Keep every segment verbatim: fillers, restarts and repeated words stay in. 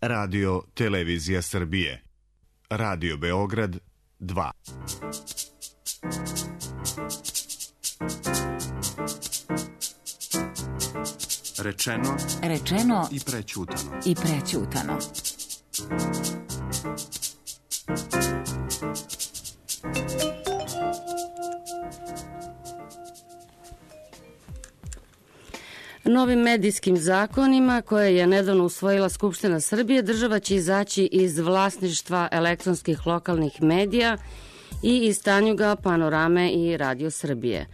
Radio Televizija Srbije. Radio Beograd dva. Rečeno, rečeno i prećutano. I prećutano. Novim medijskim zakonima koje je nedavno usvojila Skupština Srbije, država će izaći iz vlasništva elektronskih lokalnih medija i iz Tanjuga, Panorame i Radio Srbije.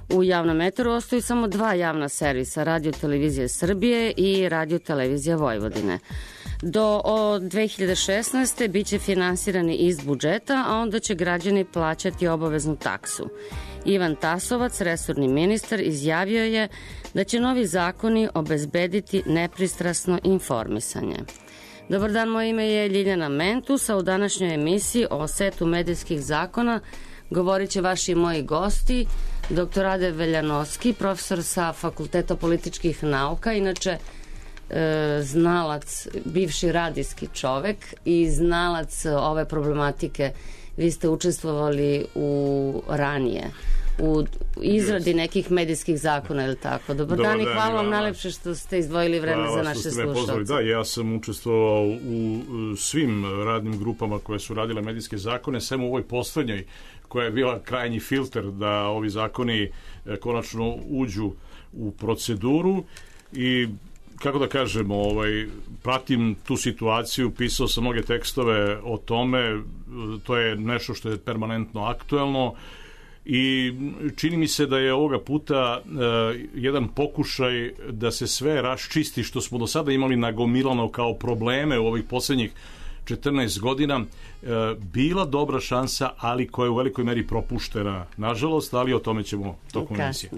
U javnom eteru ostaju samo dva javna servisa, Radio Televizije Srbije i Radio Televizija Vojvodine. Do dve hiljade šesnaeste biće finansirani iz budžeta, a onda će građani plaćati obaveznu taksu. Ivan Tasovac, resorni ministar, izjavio je da će novi zakoni obezbediti nepristrasno informisanje. Dobar dan, moje ime je Ljiljana Mentus, a u današnjoj emisiji o setu medijskih zakona govorit će vaši i moji gosti, doktor Rade Veljanovski, profesor sa Fakulteta političkih nauka, inače e, znalac, bivši radijski čovek i znalac ove problematike. Vi ste učestvovali u ranije u izradi nekih medijskih zakona, je li tako? Dobar dan i hvala vam najlepše što ste izdvojili vreme za naše slušalce. Da, ja sam učestvovao u svim radnim grupama koje su radile medijske zakone, sem u ovoj poslednjoj koja je bila krajnji filter da ovi zakoni konačno uđu u proceduru i kako da kažemo, ovaj, pratim tu situaciju, pisao sam mnoge tekstove o tome, to je nešto što je permanentno aktuelno i čini mi se da je ovoga puta uh, jedan pokušaj da se sve raščisti što smo do sada imali nagomilano kao probleme u ovih poslednjih četrnaest godina, uh, bila dobra šansa, ali koja je u velikoj meri propuštena, nažalost, ali o tome ćemo tokom emisije.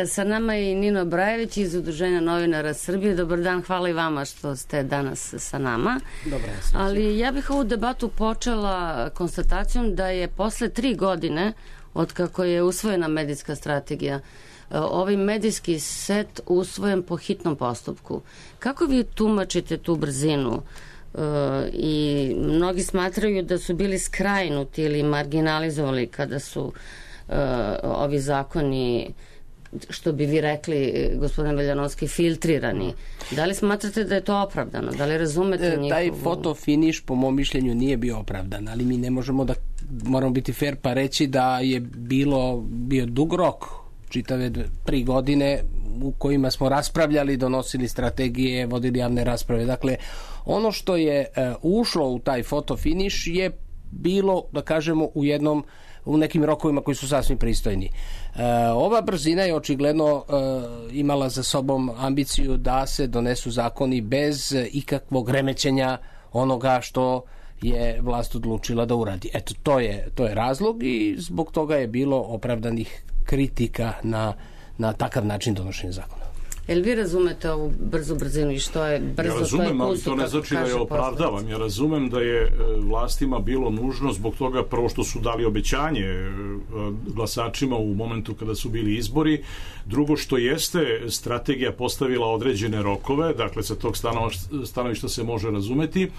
Sa nama je i Nino Brajević iz Udruženja novinara Srbije. Dobar dan, hvala i vama što ste danas sa nama. Dobar, ali ja bih ovu debatu počela konstatacijom da je posle tri godine od kako je usvojena medijska strategija, ovaj medijski set usvojen po hitnom postupku. Kako vi tumačite tu brzinu? E, i mnogi smatraju da su bili skrajnuti ili marginalizovali kada su e, ovi zakoni, što bi vi rekli, gospodine Veljanovski, filtrirani. Da li smatrate da je to opravdano? Da li razumete njihovu... Taj fotofiniš, po mom mišljenju, nije bio opravdan, ali mi ne možemo da, moramo biti fair pa reći da je bilo, bio dug rok, čitave tri godine u kojima smo raspravljali, donosili strategije, vodili javne rasprave. Dakle, ono što je uh, ušlo u taj fotofiniš je bilo, da kažemo, u jednom u nekim rokovima koji su sasvim pristojni. E, ova brzina je očigledno e, imala za sobom ambiciju da se donesu zakoni bez ikakvog remećenja onoga što je vlast odlučila da uradi. Eto, to je, to je razlog i zbog toga je bilo opravdanih kritika na, na takav način donošenja zakona. Jel vi razumete ovu brzu brzinu i što je brzo? Ja razumem, ali to ne znači da je opravdavam. Ja razumem da je vlastima bilo nužno zbog toga prvo što su dali obećanje glasačima u momentu kada su bili izbori, drugo što jeste strategija postavila određene rokove, dakle sa tog stanovišta se može razumeti,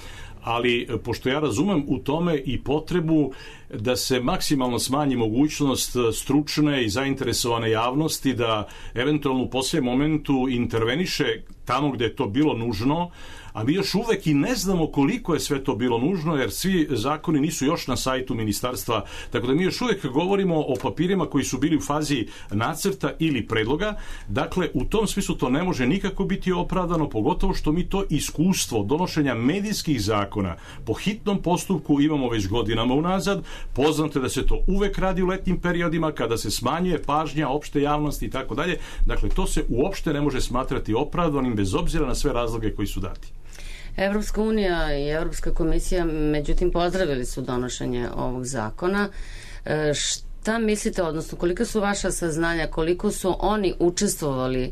ali pošto ja razumem u tome i potrebu da se maksimalno smanji mogućnost stručne i zainteresovane javnosti da eventualno u posljednjem momentu interveniše tamo gde je to bilo nužno, a mi još uvek i ne znamo koliko je sve to bilo nužno, jer svi zakoni nisu još na sajtu ministarstva, tako da mi još uvek govorimo o papirima koji su bili u fazi nacrta ili predloga. Dakle, u tom smislu to ne može nikako biti opravdano, pogotovo što mi to iskustvo donošenja medijskih zakona po hitnom postupku imamo već godinama unazad. Poznato je da se to uvek radi u letnjim periodima kada se smanjuje pažnja opšte javnosti i tako dalje. Dakle, to se uopšte ne može smatrati opravdanim bez obzira na sve razloge koji su dati. Evropska unija i Evropska komisija, međutim, pozdravili su donošenje ovog zakona. E, šta mislite, odnosno koliko su vaša saznanja, koliko su oni učestvovali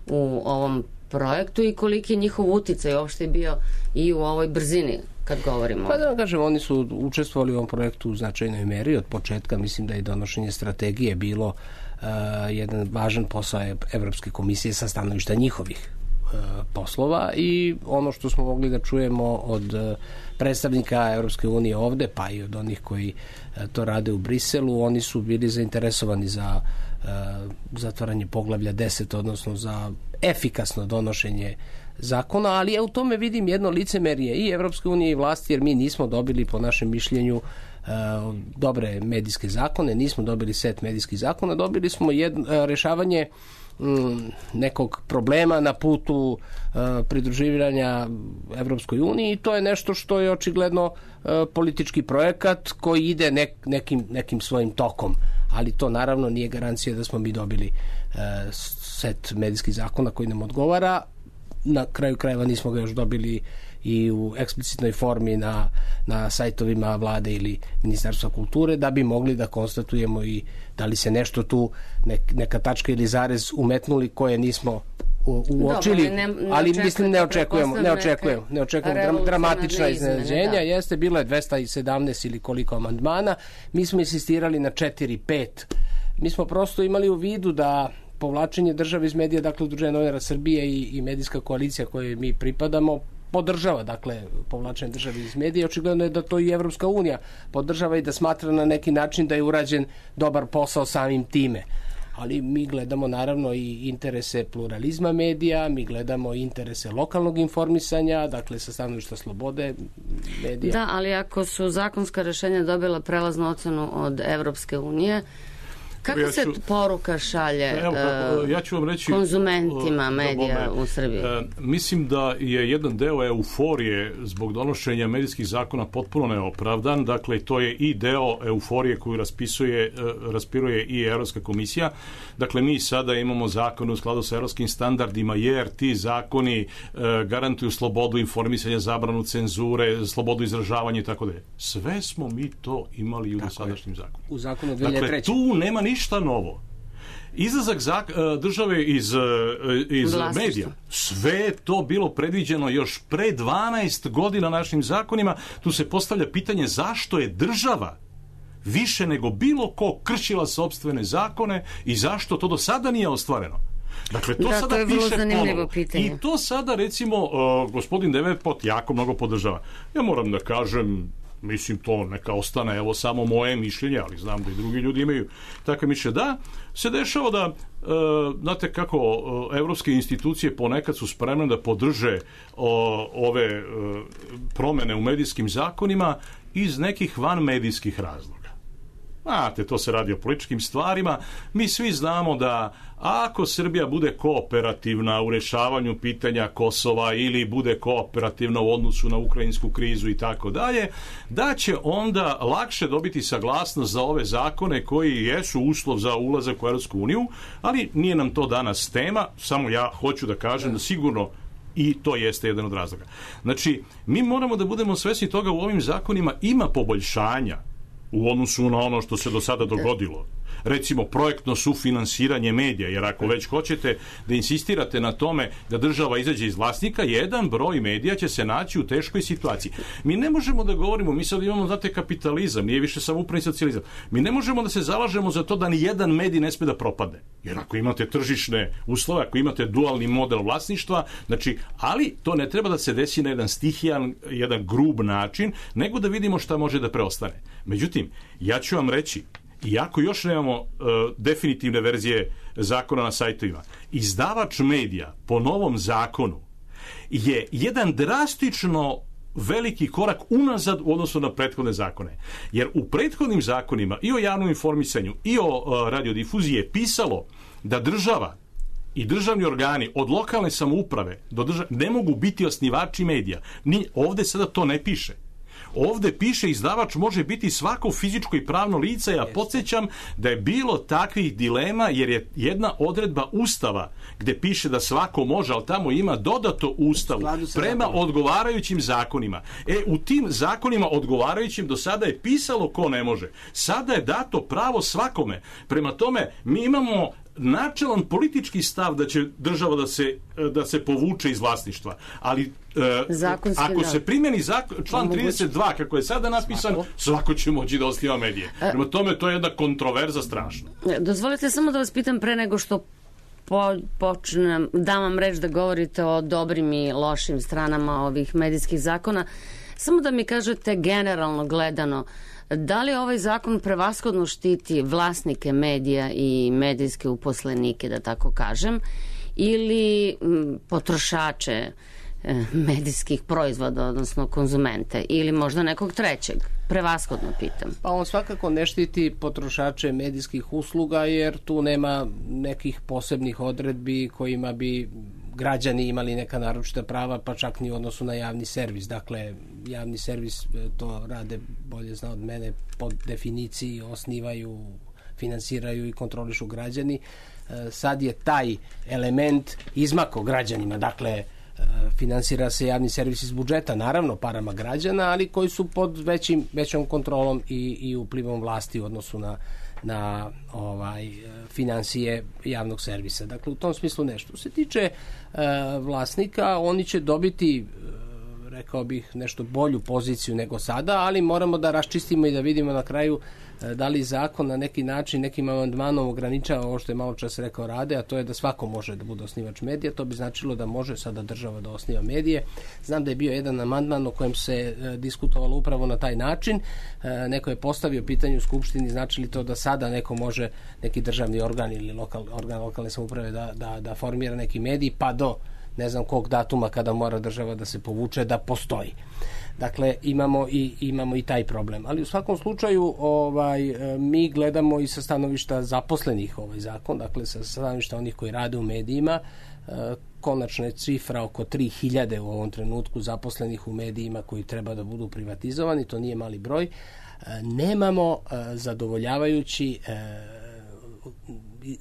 u ovom projektu i koliki je njihov uticaj uopšte bio i u ovoj brzini kad govorimo? Pa da vam kažem, oni su učestvovali u ovom projektu u značajnoj meri od početka. Mislim da je donošenje strategije bilo uh, jedan važan posao Evropske komisije sa stanovišta njihovih poslova i ono što smo mogli da čujemo od predstavnika Evropske unije ovde, pa i od onih koji to rade u Briselu, oni su bili zainteresovani za zatvaranje poglavlja deset, odnosno za efikasno donošenje zakona, ali ja u tome vidim jedno licemerje i Evropske unije i vlasti, jer mi nismo dobili, po našem mišljenju, dobre medijske zakone, nismo dobili set medijskih zakona, dobili smo jedno, rešavanje nekog problema na putu pridruživanja Evropskoj uniji i to je nešto što je očigledno politički projekat koji ide nek, nekim, nekim svojim tokom, ali to naravno nije garancija da smo mi dobili set medijskih zakona koji nam odgovara. Na kraju krajeva nismo ga još dobili i u eksplicitnoj formi na, na sajtovima vlade ili Ministarstva kulture, da bi mogli da konstatujemo i da li se nešto tu, nek, neka tačka ili zarez umetnuli koje nismo uočili, Dobre, ne, ne ali mislim ne očekujemo, ne očekujemo, ne očekujemo dram, dramatična iznenađenja. Da. Jeste, bilo je dvesta sedamnaest ili koliko amandmana, mi smo insistirali na četiri pet. Mi smo prosto imali u vidu da povlačenje države iz medija, dakle Udruženje novinara Srbije i, i medijska koalicija kojoj mi pripadamo, podržava, dakle, povlačenje države iz medija. Očigledno je da to i Evropska unija podržava i da smatra na neki način da je urađen dobar posao samim time. Ali mi gledamo naravno i interese pluralizma medija, mi gledamo interese lokalnog informisanja, dakle sa stanovišta slobode medija. Da, ali ako su zakonska rešenja dobila prelaznu ocenu od Evropske unije, kako ja ću, se poruka šalje evo, kako, ja ću vam reći, konzumentima medija u Srbiji? E, mislim da je jedan deo euforije zbog donošenja medijskih zakona potpuno neopravdan. Dakle, to je i deo euforije koju raspisuje, raspiruje i Evropska komisija. Dakle, mi sada imamo zakon u skladu sa evropskim standardima, jer ti zakoni e, garantuju slobodu informisanja, zabranu cenzure, slobodu izražavanja i tako dalje. Sve smo mi to imali i u dosadašnjim zakonu. U zakonu dve hiljade treće. Dakle, tu nema ništa novo. Izlazak zak- države iz, iz medija, sve je to bilo predviđeno još pre dvanaest godina našim zakonima. Tu se postavlja pitanje zašto je država više nego bilo ko kršila sopstvene zakone i zašto to do sada nije ostvareno. Dakle, to da, sada to piše ponovo. Pitanje. I to sada, recimo, uh, gospodin Devetpot jako mnogo podržava. Ja moram da kažem, mislim, to neka ostane, evo, samo moje mišljenje, ali znam da i drugi ljudi imaju takve mišljenje. Da, se dešava da, uh, znate kako, uh, evropske institucije ponekad su spremne da podrže uh, ove uh, promene u medijskim zakonima iz nekih vanmedijskih razloga. Znate, to se radi o političkim stvarima. Mi svi znamo da ako Srbija bude kooperativna u rešavanju pitanja Kosova ili bude kooperativna u odnosu na ukrajinsku krizu i tako dalje, da će onda lakše dobiti saglasnost za ove zakone koji jesu uslov za ulazak u Evropsku uniju, ali nije nam to danas tema, samo ja hoću da kažem da sigurno i to jeste jedan od razloga. Znači, mi moramo da budemo svesni toga, u ovim zakonima ima poboljšanja u odnosu na ono što se do sada dogodilo. Recimo, projektno sufinansiranje medija, jer ako već hoćete da insistirate na tome da država izađe iz vlasnika, jedan broj medija će se naći u teškoj situaciji. Mi ne možemo da govorimo, mi sad imamo, znate, kapitalizam, nije više samoupravni socijalizam. Mi ne možemo da se zalažemo za to da ni jedan medij ne sme da propadne. Jer ako imate tržišne uslove, ako imate dualni model vlasništva, znači, ali to ne treba da se desi na jedan stihijan, jedan grub način, nego da vidimo šta može da preostane. Međutim, ja ću vam reći, iako još nemamo uh, definitivne verzije zakona na sajtovima, izdavač medija po novom zakonu je jedan drastično veliki korak unazad u odnosu na prethodne zakone. Jer u prethodnim zakonima i o javnom informisanju i o uh, radiodifuziji je pisalo da država i državni organi od lokalne samouprave do države ne mogu biti osnivači medija. Ni, ovde sada to ne piše. Ovde piše izdavač može biti svako fizičko i pravno lice. Ja podsjećam da je bilo takvih dilema, jer je jedna odredba Ustava gde piše da svako može, ali tamo ima dodato Ustavu prema odgovarajućim zakonima. E, u tim zakonima odgovarajućim do sada je pisalo ko ne može. Sada je dato pravo svakome. Prema tome, mi imamo načelan politički stav da će država da se, da se povuče iz vlasništva. Ali e, ako se primjeni zakon, član trideset dva kako je sada napisan, svako, svako će moći da osniva medije. Prema tome, to je jedna kontroverza strašna. Dozvolite samo da vas pitam pre nego što po, počnem, dam vam reč da govorite o dobrim i lošim stranama ovih medijskih zakona. Samo da mi kažete generalno gledano, da li ovaj zakon prevashodno štiti vlasnike medija i medijske uposlenike, da tako kažem, ili potrošače medijskih proizvoda, odnosno konzumente, ili možda nekog trećeg? Prevashodno pitam. Pa on svakako ne štiti potrošače medijskih usluga, jer tu nema nekih posebnih odredbi kojima bi građani imali neka naročita prava, pa čak ni u odnosu na javni servis. Dakle, javni servis, to rade bolje zna od mene, po definiciji osnivaju, finansiraju i kontrolišu građani. Sad je taj element izmako građanima, dakle, finansira se javni servis iz budžeta, naravno parama građana, ali koji su pod većim, većom kontrolom i, i uplivom vlasti u odnosu na, na ovaj, finansije javnog servisa. Dakle, u tom smislu nešto. Se tiče e, vlasnika, oni će dobiti, e, rekao bih, nešto bolju poziciju nego sada, ali moramo da raščistimo i da vidimo na kraju da li zakon na neki način, nekim amandmanom ograničava ovo što je malo čas rekao Rade, a to je da svako može da bude osnivač medija. To bi značilo da može sada država da osniva medije. Znam da je bio jedan amandman o kojem se e, diskutovalo upravo na taj način. E, neko je postavio pitanje u Skupštini, znači li to da sada neko može, neki državni organ ili lokal, organ lokalne samouprave da, da, da formira neki medij, pa do ne znam kog datuma kada mora država da se povuče, da postoji. Dakle, imamo i, imamo i taj problem. Ali u svakom slučaju ovaj, mi gledamo i sa stanovišta zaposlenih ovaj zakon, dakle sa stanovišta onih koji rade u medijima. Konačna je cifra oko tri hiljade u ovom trenutku zaposlenih u medijima koji treba da budu privatizovani, to nije mali broj. Nemamo zadovoljavajući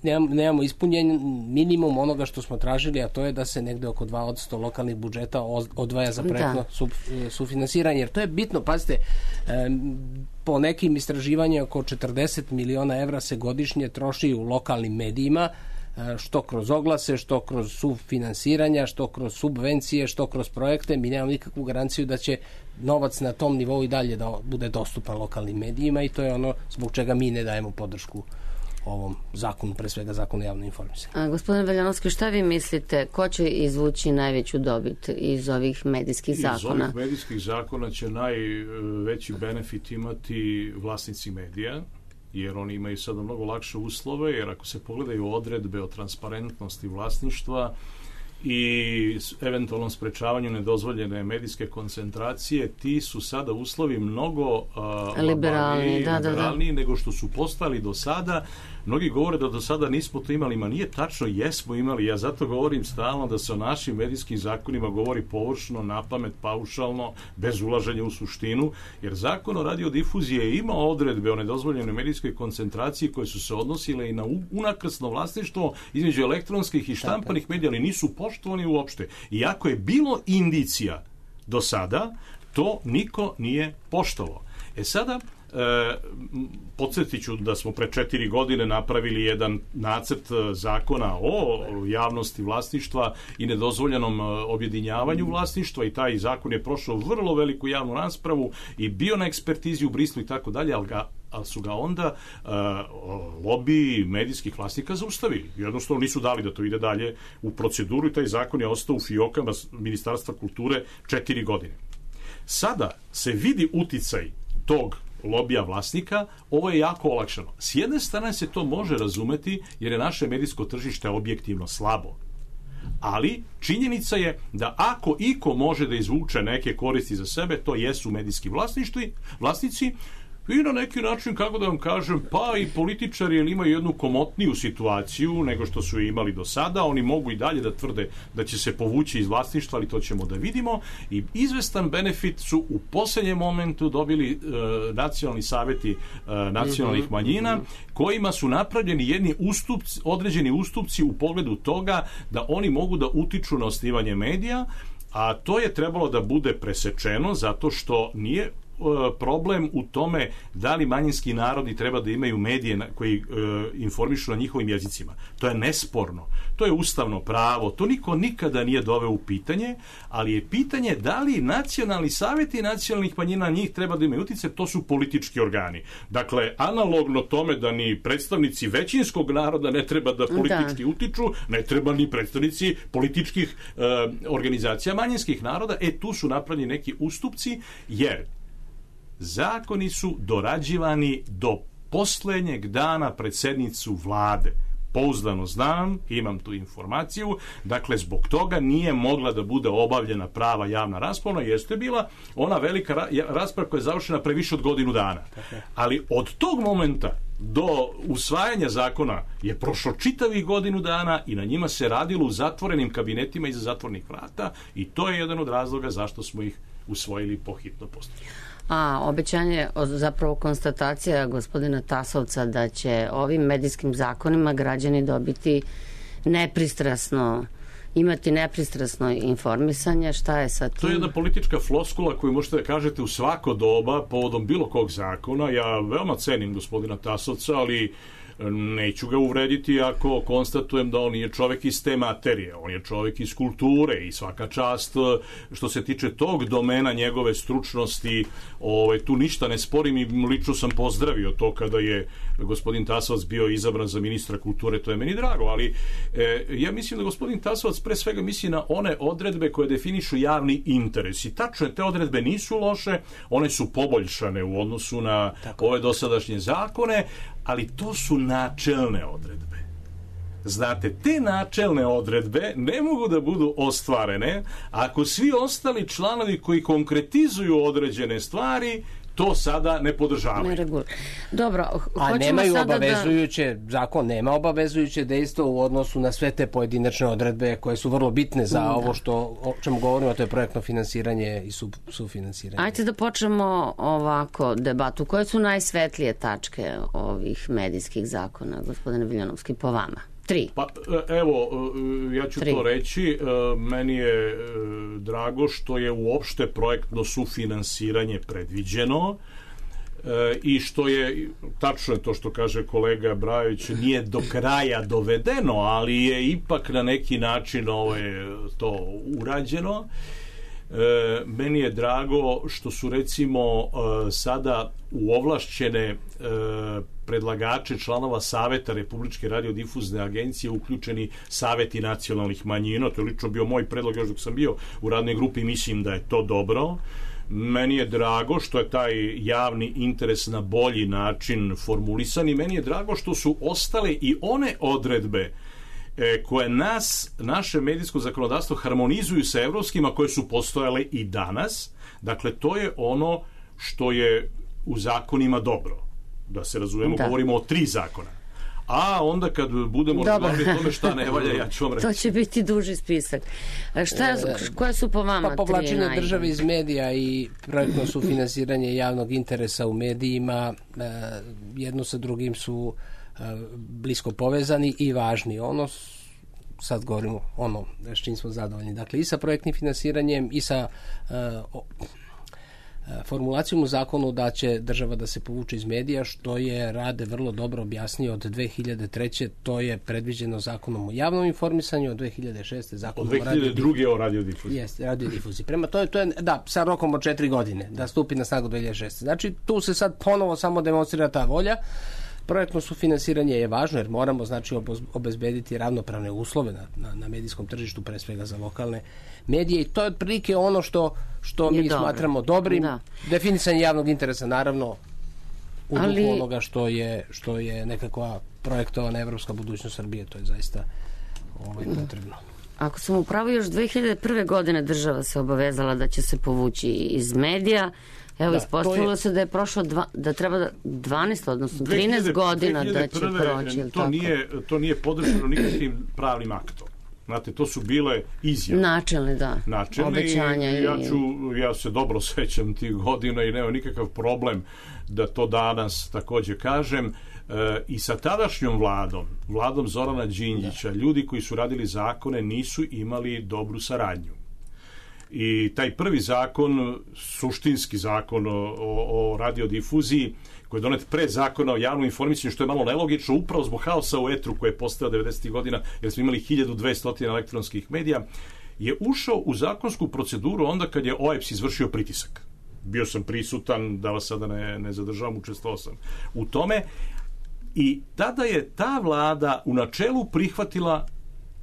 Nemamo, nemamo ispunjen minimum onoga što smo tražili, a to je da se negde oko dva posto lokalnih budžeta odvaja za projektno su, sufinansiranje, jer to je bitno. Pazite, po nekim istraživanjima oko četrdeset miliona evra se godišnje troši u lokalnim medijima, što kroz oglase, što kroz sufinansiranja, što kroz subvencije, što kroz projekte. Mi nemamo nikakvu garanciju da će novac na tom nivou i dalje da bude dostupan lokalnim medijima, i to je ono zbog čega mi ne dajemo podršku ovom zakonu, pre svega zakonu o javnom informisanju. A, gospodine Veljanovski, šta vi mislite, ko će izvući najveću dobit iz ovih medijskih zakona? Iz ovih medijskih zakona će najveći benefit imati vlasnici medija, jer oni imaju sada mnogo lakše uslove, jer ako se pogledaju odredbe o transparentnosti vlasništva i eventualnom sprečavanju nedozvoljene medijske koncentracije, ti su sada uslovi mnogo uh, liberalni, da, liberalniji da, da. nego što su postali do sada. Mnogi govore da do sada nismo to imali, ma nije tačno, jesmo imali. Ja zato govorim stalno da se o našim medijskim zakonima govori površno, napamet, paušalno, bez ulaženja u suštinu, jer zakon o radiodifuziji je imao odredbe o nedozvoljenoj medijskoj koncentraciji koje su se odnosile i na unakrsno vlasništvo između elektronskih i štampanih medija, ali nisu poštovani uopšte. Iako je bilo indicija do sada, to niko nije poštovao. E sada, E, podsjetit ću da smo pre četiri godine napravili jedan nacrt zakona o javnosti vlasništva i nedozvoljenom objedinjavanju vlasništva, i taj zakon je prošao vrlo veliku javnu raspravu i bio na ekspertizi u Brislu i tako dalje, ali ga ali su ga onda uh, lobi medijskih vlasnika zaustavili. Jednostavno nisu dali da to ide dalje u proceduru i taj zakon je ostao u fijokama Ministarstva kulture četiri godine. Sada se vidi uticaj tog lobija vlasnika, ovo je jako olakšano. S jedne strane se to može razumeti jer je naše medijsko tržište objektivno slabo. Ali činjenica je da ako iko može da izvuče neke koristi za sebe, to jesu medijski vlasništvi, vlasnici, i na neki način, kako da vam kažem, pa i političari imaju jednu komotniju situaciju nego što su imali do sada. Oni mogu i dalje da tvrde da će se povući iz vlasništva, ali to ćemo da vidimo. I izvestan benefit su u posljednjem momentu dobili e, nacionalni savjeti e, nacionalnih manjina, kojima su napravljeni jedni ustupci, određeni ustupci u pogledu toga da oni mogu da utiču na osnivanje medija, a to je trebalo da bude presečeno zato što nije problem u tome da li manjinski narodi treba da imaju medije koji e, informišu na njihovim jezicima. To je nesporno. To je ustavno pravo. To niko nikada nije doveo u pitanje, ali je pitanje da li nacionalni savjeti nacionalnih manjina njih treba da imaju utice, to su politički organi. Dakle, analogno tome da ni predstavnici većinskog naroda ne treba da politički da. utiču, ne treba ni predstavnici političkih e, organizacija manjinskih naroda. E, tu su napravljeni neki ustupci, jer zakoni su dorađivani do poslednjeg dana pred sednicu vlade. Pouzdano znam, imam tu informaciju, dakle zbog toga nije mogla da bude obavljena prava javna rasprava, jeste bila ona velika ra- rasprava koja je završena pre više od godinu dana. Ali od tog momenta do usvajanja zakona je prošlo čitavih godinu dana i na njima se radilo u zatvorenim kabinetima iza zatvornih vrata i to je jedan od razloga zašto smo ih usvojili po hitnom postupku. A obećanje, zapravo konstatacija gospodina Tasovca da će ovim medijskim zakonima građani dobiti nepristrasno, imati nepristrasno informisanje, šta je sa tim? To je jedna politička floskula koju možete da kažete u svako doba povodom bilo kog zakona. Ja veoma cenim gospodina Tasovca, ali neću ga uvrediti ako konstatujem da on nije čovek iz te materije, on je čovek iz kulture i svaka čast što se tiče tog domena njegove stručnosti, ovaj, tu ništa ne sporim i lično sam pozdravio to kada je gospodin Tasovac bio izabran za ministra kulture, to je meni drago, ali e, ja mislim da gospodin Tasovac pre svega misli na one odredbe koje definišu javni interes i tačno te odredbe nisu loše, one su poboljšane u odnosu na Tako. ove dosadašnje zakone, ali to su načelne odredbe. Znate, te načelne odredbe ne mogu da budu ostvarene ako svi ostali članovi koji konkretizuju određene stvari to sada ne podržavaju. Ne reguliru. Dobro, a nemaju obavezujuće, da... zakon nema obavezujuće dejstvo u odnosu na sve te pojedinačne odredbe koje su vrlo bitne za da. ovo što, o čemu govorimo, to je projektno finansiranje i su, sufinansiranje. Ajde da počnemo ovako debatu. Koje su najsvetlije tačke ovih medijskih zakona, gospodine Viljanovski, po vama? Tri. Pa evo, ja ću Tri. to reći. Meni je drago što je uopšte projektno sufinansiranje predviđeno i što je, tačno je to što kaže kolega Brajović, nije do kraja dovedeno, ali je ipak na neki način ovo je to urađeno. E, meni je drago što su recimo e, sada u ovlašćene e, predlagače članova Saveta Republičke radiodifuzne agencije uključeni saveti nacionalnih manjina. To je lično bio moj predlog još dok sam bio u radnoj grupi, mislim da je to dobro. Meni je drago što je taj javni interes na bolji način formulisan i meni je drago što su ostale i one odredbe koje nas, naše medijsko zakonodavstvo harmonizuju sa evropskima koje su postojale i danas. Dakle, to je ono što je u zakonima dobro. Da se razumemo, da. govorimo o tri zakona. A onda kad budemo razgovarali o tome šta ne valja, ja ću vam reći. To će biti duži spisak. Šta je, koje su po vama pa, povlačenje države iz medija i projektno sufinansiranje javnog interesa u medijima jedno sa drugim su blisko povezani i važni. Ono, sad govorimo ono s čim smo zadovoljni. Dakle, i sa projektnim finansiranjem i sa uh, formulacijom u zakonu da će država da se povuče iz medija, što je Rade vrlo dobro objasnio od dve hiljade treće. To je predviđeno zakonom o javnom informisanju, od dve hiljade šeste zakonom od dve hiljade druge o radiodifuziji. Jeste, radiodifuziji. Prema to je, to je, da, sa rokom od četiri godine, da stupi na snagu dve hiljade šeste. Znači, tu se sad ponovo samo demonstrira ta volja. Projektno sufinansiranje je važno jer moramo znači obezbediti ravnopravne uslove na, na, na medijskom tržištu, pre svega za lokalne medije i to je otprilike ono što, što mi dobro. smatramo dobrim. Da. Definisanje javnog interesa naravno u Ali... duhu onoga što je, što je nekakva projektovana evropska budućnost Srbije, to je zaista ovaj, potrebno. Ako sam upravo, još dve hiljade prve. godine država se obavezala da će se povući iz medija. Evo, da, ispostavilo je, se da je prošlo dva, da treba dvanaest, odnosno trinaest godina da će proći. To, tako? Nije, to nije podržano nikakvim pravnim aktom. Znate, to su bile izjave. Načelne, da. Načelne obećanja. I ja, i... ću, ja se dobro sećam tih godina i nema nikakav problem da to danas takođe kažem. E, i sa tadašnjom vladom, vladom Zorana Đinđića, da. ljudi koji su radili zakone nisu imali dobru saradnju. I taj prvi zakon, suštinski zakon o, o, o radiodifuziji, koji je donet pre zakona o javnom informisanju, što je malo nelogično, upravo zbog haosa u etru koje je postao devedesetih godina, jer smo imali hiljadu dvesta elektronskih medija, je ušao u zakonsku proceduru onda kad je O E B S izvršio pritisak. Bio sam prisutan, da vas sada ne, ne zadržavam, učestvovao sam u tome. I tada je ta vlada u načelu prihvatila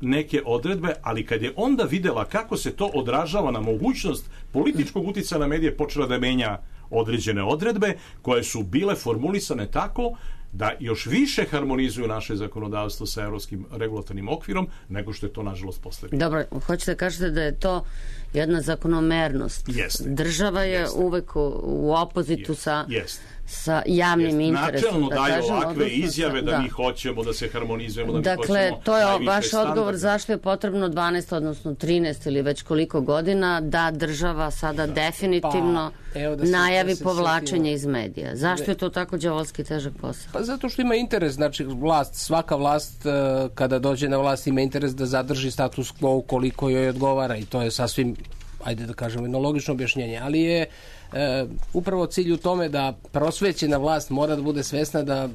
neke odredbe, ali kad je onda videla kako se to odražava na mogućnost političkog uticaja na medije, počela da menja određene odredbe koje su bile formulisane tako da još više harmonizuju naše zakonodavstvo sa evropskim regulatornim okvirom nego što je to nažalost postavljeno. Dobro, hoćete kažete da je to jedna zakonomernost. Jeste. Država je Jeste. uvek u, u opozitu Jeste. sa, Jeste. sa javnim Jeste. interesom. Načelno da daju kažem, ovakve odnosno izjave sa, da, da mi hoćemo da se harmonizujemo, da dakle, mi hoćemo to je najviše vaš standarde. odgovor zašto je potrebno dvanaest, odnosno trinaest ili već koliko godina da država sada da. definitivno pa, evo da se, najavi da se povlačenje sjetimo. iz medija. Zašto je to tako đavolski težak posao? Pa zato što ima interes, znači vlast, svaka vlast kada dođe na vlast ima interes da zadrži status quo ukoliko joj odgovara i to je sasvim, ajde da kažemo, jedno logično objašnjenje, ali je e, upravo cilj u tome da prosvećena vlast mora da bude svesna da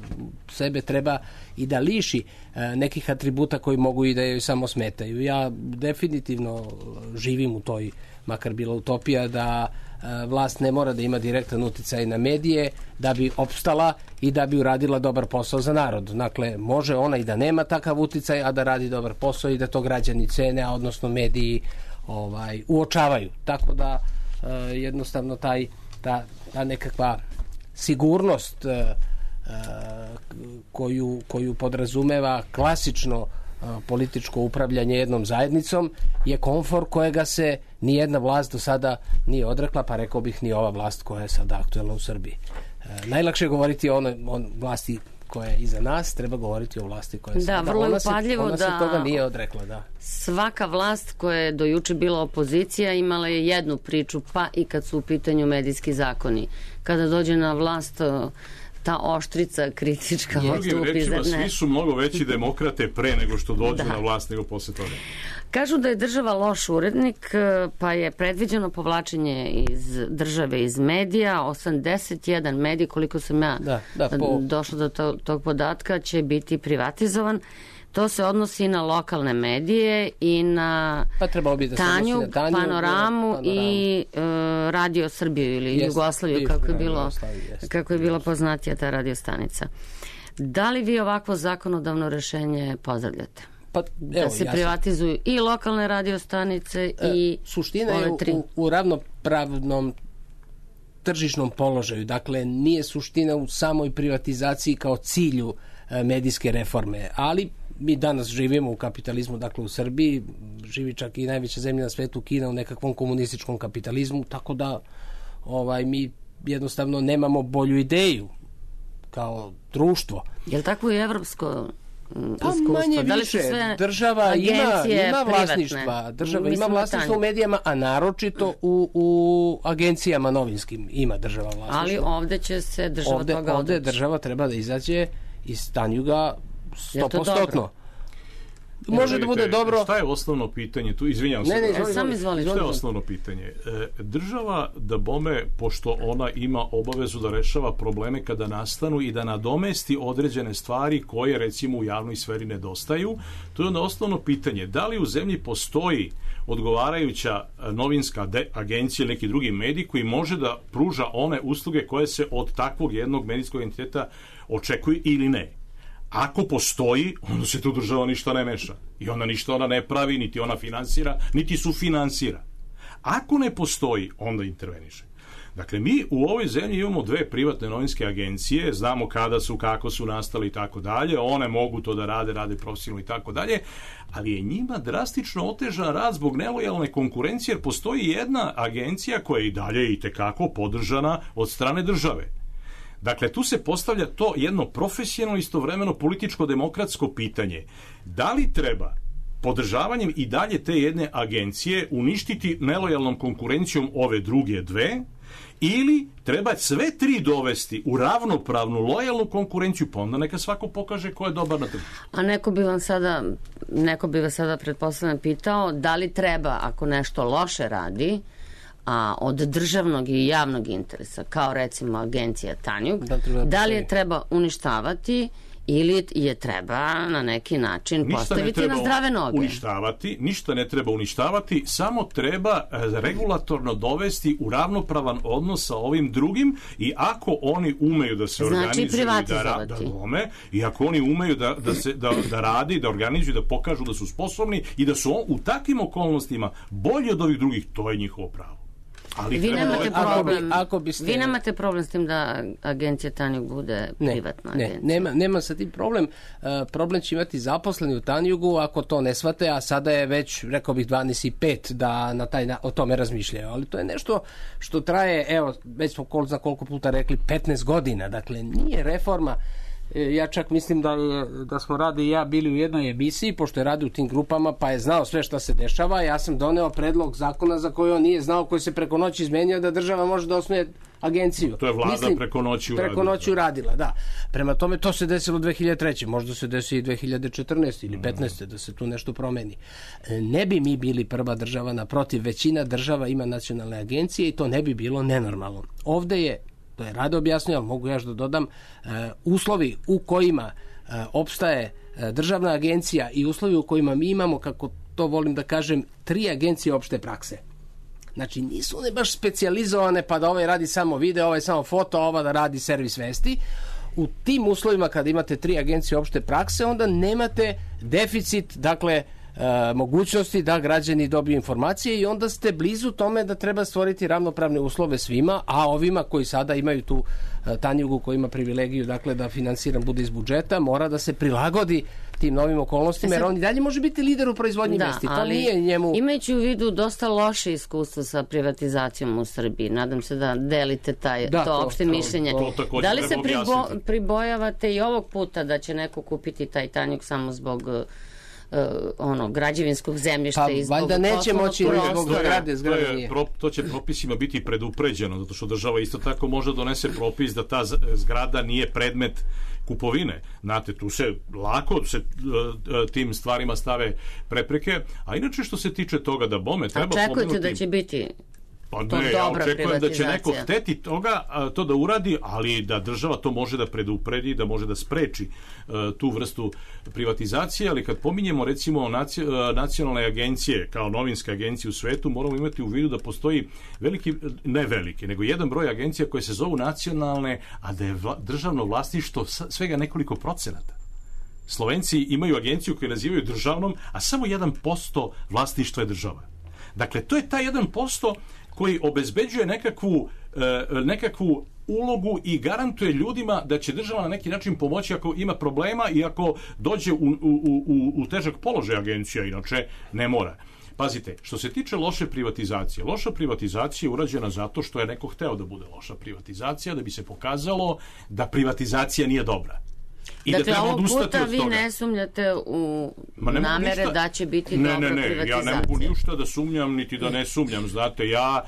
sebe treba i da liši e, nekih atributa koji mogu i da joj samo smetaju. Ja definitivno živim u toj, makar bila utopija, da e, vlast ne mora da ima direktan uticaj na medije da bi opstala i da bi uradila dobar posao za narod. Dakle, može ona i da nema takav uticaj, a da radi dobar posao i da to građani cene, a odnosno mediji ovaj uočavaju. Tako da e, jednostavno taj ta, ta nekakva sigurnost e, koju, koju podrazumeva klasično e, političko upravljanje jednom zajednicom je komfor kojega se ni jedna vlast do sada nije odrekla, pa rekao bih ni ova vlast koja je sada aktuelna u Srbiji. E, najlakše je govoriti o onoj on, vlasti koja je iza nas, treba govoriti o vlasti koja je da, sada. Vrlo ona je upadljivo se, ona da se toga nije odrekla, da. Svaka vlast koja je do juče bila opozicija imala je jednu priču, pa i kad su u pitanju medijski zakoni. Kada dođe na vlast ta oštrica kritička drugim rečima, svi su mnogo veći demokrate pre nego što dođu da. na vlast nego posle toga. Kažu da je država loš urednik, pa je predviđeno povlačenje iz države, iz medija. osamdeset jedan medij, koliko sam ja da, da, po... došla do to, tog podatka, će biti privatizovan. To se odnosi na lokalne medije i na pa bi da Tanjug, na Tanjug, Panoramu, panoramu i uh, Radio Srbiju ili jest, Jugoslaviju, kako je, bilo, kako je bila poznatija ta radiostanica. Da li vi ovakvo zakonodavno rešenje pozdravljate? Pa, evo, da se ja privatizuju i lokalne radiostanice e, i suština ove je tri. U, u ravnopravnom tržišnom položaju. Dakle, nije suština u samoj privatizaciji kao cilju e, medijske reforme, ali mi danas živimo u kapitalizmu, dakle u Srbiji, živi čak i najveća zemlja na svetu, Kina, u nekakvom komunističkom kapitalizmu, tako da ovaj mi jednostavno nemamo bolju ideju kao društvo. Je li tako i evropsko pa iskustvo? manje Da li više, sve država ima, ima vlasništva, privatne? država Mislim ima vlasništvo u medijama, a naročito u, u agencijama novinskim ima država vlasništvo. Ali ovde će se država ovde, toga ovde odreći. Država treba da izađe iz Tanjuga sto posto. Može da bude dobro. Šta je osnovno pitanje tu? Izvinjavam se. Ne, ne, izvoli, sam izvoli. Šta je osnovno pitanje? E, država da bome, pošto ona ima obavezu da rešava probleme kada nastanu i da nadomesti određene stvari koje recimo u javnoj sferi nedostaju, to je onda osnovno pitanje. Da li u zemlji postoji odgovarajuća novinska agencija ili neki drugi medij koji može da pruža one usluge koje se od takvog jednog medijskog entiteta očekuju ili ne? Ako postoji, onda se tu država ništa ne meša. I onda ništa ona ne pravi, niti ona finansira, niti sufinansira. Ako ne postoji, onda interveniše. Dakle, mi u ovoj zemlji imamo dve privatne novinske agencije, znamo kada su, kako su nastali i tako dalje, one mogu to da rade, rade profesionalno i tako dalje, ali je njima drastično otežan rad zbog nelojalne konkurencije, jer postoji jedna agencija koja je i dalje i tekako podržana od strane države. Dakle, tu se postavlja to jedno profesionalno, istovremeno političko-demokratsko pitanje. Da li treba podržavanjem i dalje te jedne agencije uništiti nelojalnom konkurencijom ove druge dve, ili treba sve tri dovesti u ravnopravnu, lojalnu konkurenciju, pa onda neka svako pokaže ko je dobar na tržištu. A neko bi vam sada, neko bi vas sada pretpostavljam pitao da li treba, ako nešto loše radi, a od državnog i javnog interesa, kao recimo agencija Tanjug, da, da li je treba uništavati ili je treba na neki način ništa postaviti na zdrave noge? Uništavati, ništa ne treba uništavati, samo treba regulatorno dovesti u ravnopravan odnos sa ovim drugim i ako oni umeju da se znači, organizuju i da, da dome, i ako oni umeju da, da, se, da, da radi, da organizuju, da pokažu da su sposobni i da su on, u takvim okolnostima bolji od ovih drugih, to je njihovo pravo. Ali vi nemate problem, ako biste... vi nemate problem s tim da agencija Tanjug bude ne, privatna ne, agencija? Nema, nema sa tim problem. Uh, problem će imati zaposleni u Tanjugu ako to ne shvate, a sada je već, rekao bih, dvanaest i pet da na taj, na, o tome razmišljaju. Ali to je nešto što traje, evo, već smo kol, za koliko puta rekli, petnaest godina. Dakle, nije reforma. Ja čak mislim da, je, da smo Rade i ja bili u jednoj emisiji, pošto je radio u tim grupama, pa je znao sve šta se dešava. Ja sam doneo predlog zakona za koji on nije znao, koji se preko noći izmenio, da država može da osnuje agenciju. To je vlada mislim, preko noći uradila. Preko noći uradila, da. Prema tome, to se desilo dve hiljade treće. Možda se desi i dve hiljade četrnaeste ili petnaeste da se tu nešto promeni. Ne bi mi bili prva država, naprotiv, većina država ima nacionalne agencije i to ne bi bilo nenormalno. Ovde je, to je Rade objasnio, ali mogu još da dodam, uh, uslovi u kojima uh, opstaje uh, državna agencija i uslovi u kojima mi imamo, kako to volim da kažem, tri agencije opšte prakse. Znači, nisu one baš specijalizovane pa da ovaj radi samo video, ovaj samo foto, ova da radi servis vesti. U tim uslovima kada imate tri agencije opšte prakse, onda nemate deficit, dakle, E, mogućnosti da građani dobiju informacije i onda ste blizu tome da treba stvoriti ravnopravne uslove svima, a ovima koji sada imaju tu e, Tanjugu koji ima privilegiju, dakle, da finansiran bude iz budžeta, mora da se prilagodi tim novim okolnostima, jer on i dalje može biti lider u proizvodnji da, vesti. To nije njemu... Imajući u vidu dosta loše iskustva sa privatizacijom u Srbiji, nadam se da delite taj, da, to, to opšte to, mišljenje. To, to da li se pribo, pribojavate i ovog puta da će neko kupiti taj Tanjug samo zbog Uh, ono, građevinskog zemljišta pa, i zbog valjda neće moći zbog zgrade, zgrade to, je, pro, to će propisima biti predupređeno, zato što država isto tako može donese propis da ta zgrada nije predmet kupovine. Znate, tu se lako se uh, tim stvarima stave prepreke, a inače što se tiče toga da bome treba pomenuti... Očekujete da će biti Pa ne, ja očekujem da će neko hteti toga, to da uradi, ali da država to može da predupredi, da može da spreči uh, tu vrstu privatizacije, ali kad pominjemo recimo naci, uh, nacionalne agencije kao novinske agencije u svetu, moramo imati u vidu da postoji veliki, ne veliki, nego jedan broj agencija koje se zovu nacionalne, a da je vla, državno vlasništvo svega nekoliko procenata. Slovenci imaju agenciju koju nazivaju državnom, a samo jedan posto vlasništva je država. Dakle, to je taj jedan posto koji obezbeđuje nekakvu, nekakvu ulogu i garantuje ljudima da će država na neki način pomoći ako ima problema i ako dođe u, u, u, u težak položaj agencija, inače ne mora. Pazite, što se tiče loše privatizacije, loša privatizacija je urađena zato što je neko hteo da bude loša privatizacija, da bi se pokazalo da privatizacija nije dobra. I dakle, da ovog puta vi ne sumnjate u namere ništa, da će biti ne, dobra ne, ne, privatizacija. Ja ne mogu ništa da sumnjam, niti da ne sumnjam. Znate, ja,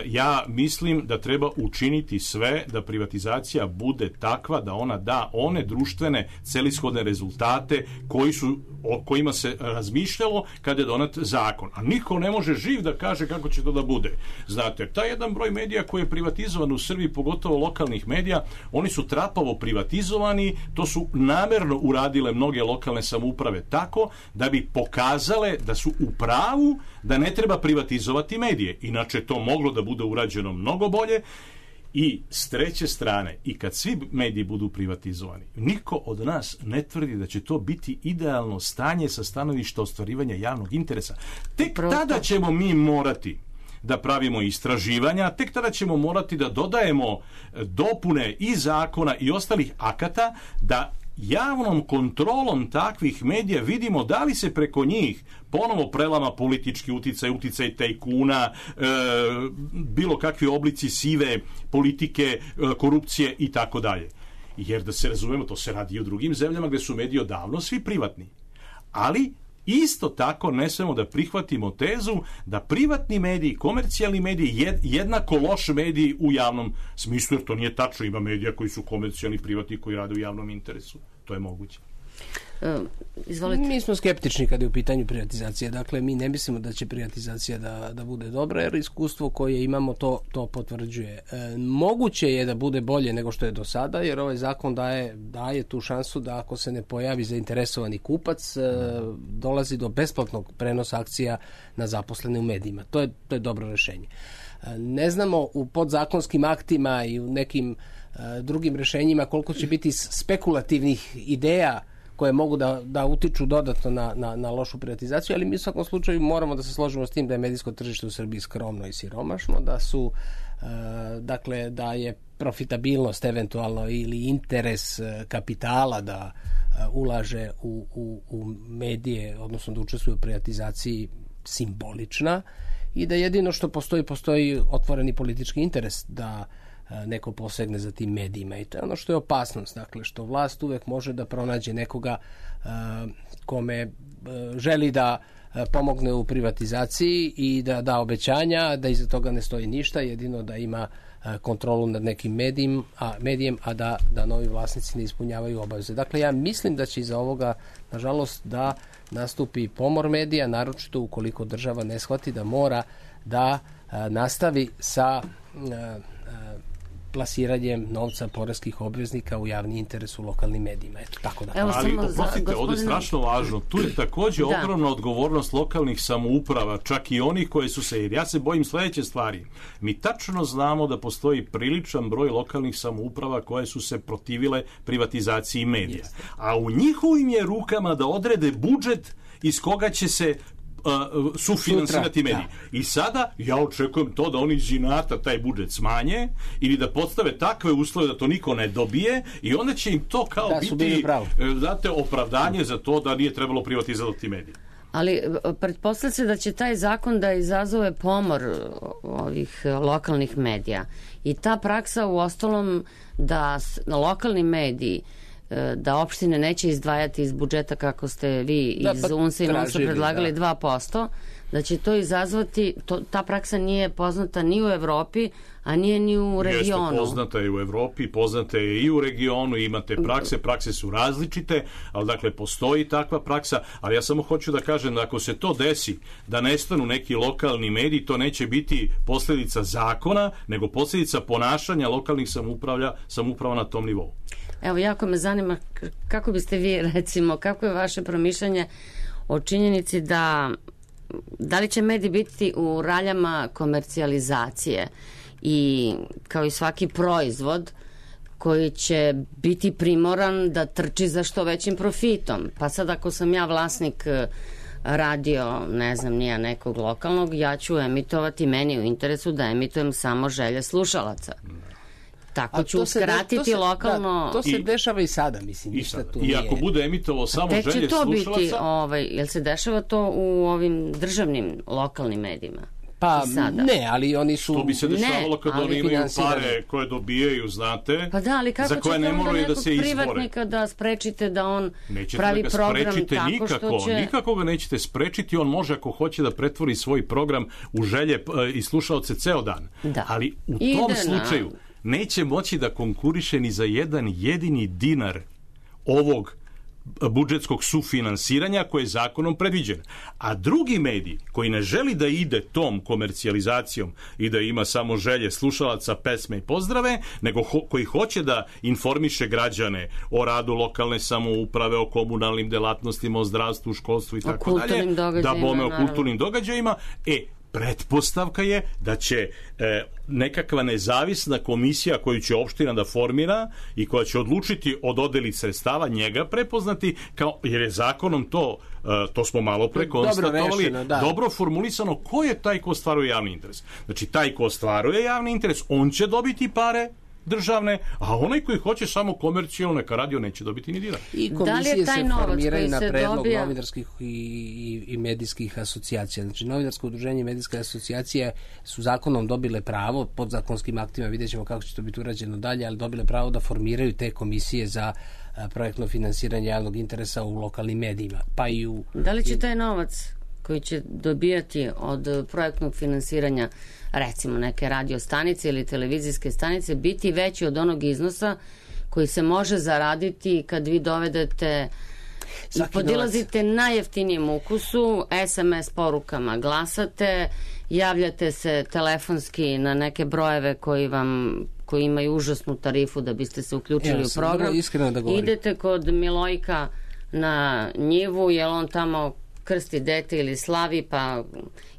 ja mislim da treba učiniti sve da privatizacija bude takva da ona da one društvene celishodne rezultate koji su, o kojima se razmišljalo kada je donet zakon. A niko ne može živ da kaže kako će to da bude. Znate, taj jedan broj medija koji je privatizovan u Srbiji, pogotovo lokalnih medija, oni su trapavo privatizovani, to su namerno uradile mnoge lokalne samouprave tako da bi pokazale da su u pravu da ne treba privatizovati medije. Inače to moglo da bude urađeno mnogo bolje. I s treće strane, i kad svi mediji budu privatizovani, niko od nas ne tvrdi da će to biti idealno stanje sa stanovišta ostvarivanja javnog interesa. Tek tada ćemo mi morati da pravimo istraživanja, tek tada ćemo morati da dodajemo dopune i zakona i ostalih akata, da javnom kontrolom takvih medija vidimo da li se preko njih ponovo prelama politički uticaj, uticaj tajkuna, e, bilo kakvi oblici sive politike, e, korupcije i tako dalje. Jer da se razumemo, to se radi i u drugim zemljama gde su mediji odavno svi privatni. Ali isto tako ne smemo da prihvatimo tezu da privatni mediji, komercijalni mediji jednako loš mediji u javnom smislu, jer to nije tačno. Ima medija koji su komercijalni, privatni, koji rade u javnom interesu. To je moguće. Uh, izvolite. Mi smo skeptični kada je u pitanju privatizacije. Dakle, mi ne mislimo da će privatizacija da, da bude dobra, jer iskustvo koje imamo to, to potvrđuje. E, moguće je da bude bolje nego što je do sada, jer ovaj zakon daje, daje tu šansu da ako se ne pojavi zainteresovani kupac, e, dolazi do besplatnog prenosa akcija na zaposlene u medijima. To je, to je dobro rešenje. E, ne znamo u podzakonskim aktima i u nekim e, drugim rešenjima koliko će biti spekulativnih ideja koje mogu da, da utiču dodatno na, na, na lošu privatizaciju, ali mi u svakom slučaju moramo da se složimo s tim da je medijsko tržište u Srbiji skromno i siromašno, da su e, dakle da je profitabilnost eventualno ili interes kapitala da e, ulaže u, u, u medije, odnosno da učestvuje u privatizaciji simbolična i da jedino što postoji, postoji otvoreni politički interes da neko posegne za tim medijima i to je ono što je opasnost, dakle što vlast uvek može da pronađe nekoga uh, kome uh, želi da uh, pomogne u privatizaciji i da da obećanja, da iza toga ne stoji ništa, jedino da ima uh, kontrolu nad nekim medijem, a, medijem, a da, da novi vlasnici ne ispunjavaju obaveze. Dakle, ja mislim da će iza ovoga, nažalost, da nastupi pomor medija, naročito ukoliko država ne shvati da mora da uh, nastavi sa uh, uh, plasiranjem novca poreskih obveznika u javni interes u lokalnim medijima. Eto, tako da. Evo, ali, oprostite, ovdje je strašno važno. Tu je također da. ogromna odgovornost lokalnih samouprava, čak i onih koje su se, jer ja se bojim sljedeće stvari. Mi tačno znamo da postoji priličan broj lokalnih samouprava koje su se protivile privatizaciji medija. Jeste. A u njihovim je rukama da odrede budžet iz koga će se Uh, sufinansirati mediji. Da. I sada ja očekujem to da oni iz inata taj budžet smanje ili da postave takve uslove da to niko ne dobije i onda će im to kao da, biti znate, opravdanje za to da nije trebalo privatizovati medije. Ali pretpostavlja se da će taj zakon da izazove pomor ovih lokalnih medija i ta praksa u ostalom da lokalni mediji da opštine neće izdvajati iz budžeta kako ste vi da, iz pa, U N S A i Monsa predlagali da. dva posto, da će to izazvati, to, ta praksa nije poznata ni u Evropi, a nije ni u regionu. Jeste, poznata je u Evropi, poznata je i u regionu, imate prakse, prakse su različite, ali dakle postoji takva praksa, ali ja samo hoću da kažem da ako se to desi, da nestanu neki lokalni mediji, to neće biti posljedica zakona, nego posljedica ponašanja lokalnih samouprava, samouprava na tom nivou. Evo, jako me zanima kako biste vi, recimo, kako je vaše promišljanje o činjenici da da li će mediji biti u raljama komercijalizacije i kao i svaki proizvod koji će biti primoran da trči za što većim profitom. Pa sad ako sam ja vlasnik radio, ne znam, nija nekog lokalnog, ja ću emitovati meni u interesu da emitujem samo želje slušalaca. Tako ću skratiti lokalno... Da, to se I, dešava i sada, mislim. I, sada. I ako bude emitovao samo želje slušalaca... Tek će to biti, ovaj, jel se dešava to u ovim državnim lokalnim medijima? Pa ne, ali oni su... To bi se dešavalo kad oni imaju pare koje dobijaju, znate, pa da, ali kako za koje ne moraju da se izbore. Privatnika da sprečite da on nećete pravi da program tako nikako, što će... Nikako ga nećete sprečiti, on može ako hoće da pretvori svoj program u želje i slušaoce ceo dan. Da. Ali u Ide tom slučaju na... neće moći da konkuriše ni za jedan jedini dinar ovog budžetskog sufinansiranja koje je zakonom predviđeno. A drugi medij koji ne želi da ide tom komercijalizacijom i da ima samo želje slušalaca, pesme i pozdrave, nego ho, koji hoće da informiše građane o radu lokalne samouprave, o komunalnim delatnostima, o zdravstvu, školstvu i tako dalje, da bome o kulturnim događajima, e, pretpostavka je da će e, nekakva nezavisna komisija koju će opština da formira i koja će odlučiti o dodeli sredstava njega prepoznati kao, jer je zakonom to, e, to smo malo pre konstatovali, dobro, rešeno, dobro formulisano ko je taj ko ostvaruje javni interes. Znači taj ko ostvaruje javni interes, on će dobiti pare državne, a onaj koji hoće samo komercijalno, neka radio neće dobiti ni dinara. I komisije se formiraju na predlog dobija... novinarskih i, i, i medijskih asocijacija. Znači, novinarsko udruženje i medijske asocijacije su zakonom dobile pravo, podzakonskim aktima, vidjet ćemo kako će to biti urađeno dalje, ali dobile pravo da formiraju te komisije za projektno finansiranje javnog interesa u lokalnim medijima. Pa i u... Da li će taj novac koji će dobijati od projektnog finansiranja recimo neke radio stanice ili televizijske stanice biti veći od onog iznosa koji se može zaraditi kad vi dovedete i podilazite najjeftinijem ukusu, es em es porukama glasate, javljate se telefonski na neke brojeve koji vam koji imaju užasnu tarifu da biste se uključili Evo, u program. Da idete kod Milojka na njivu, jer on tamo krsti dete ili slavi, pa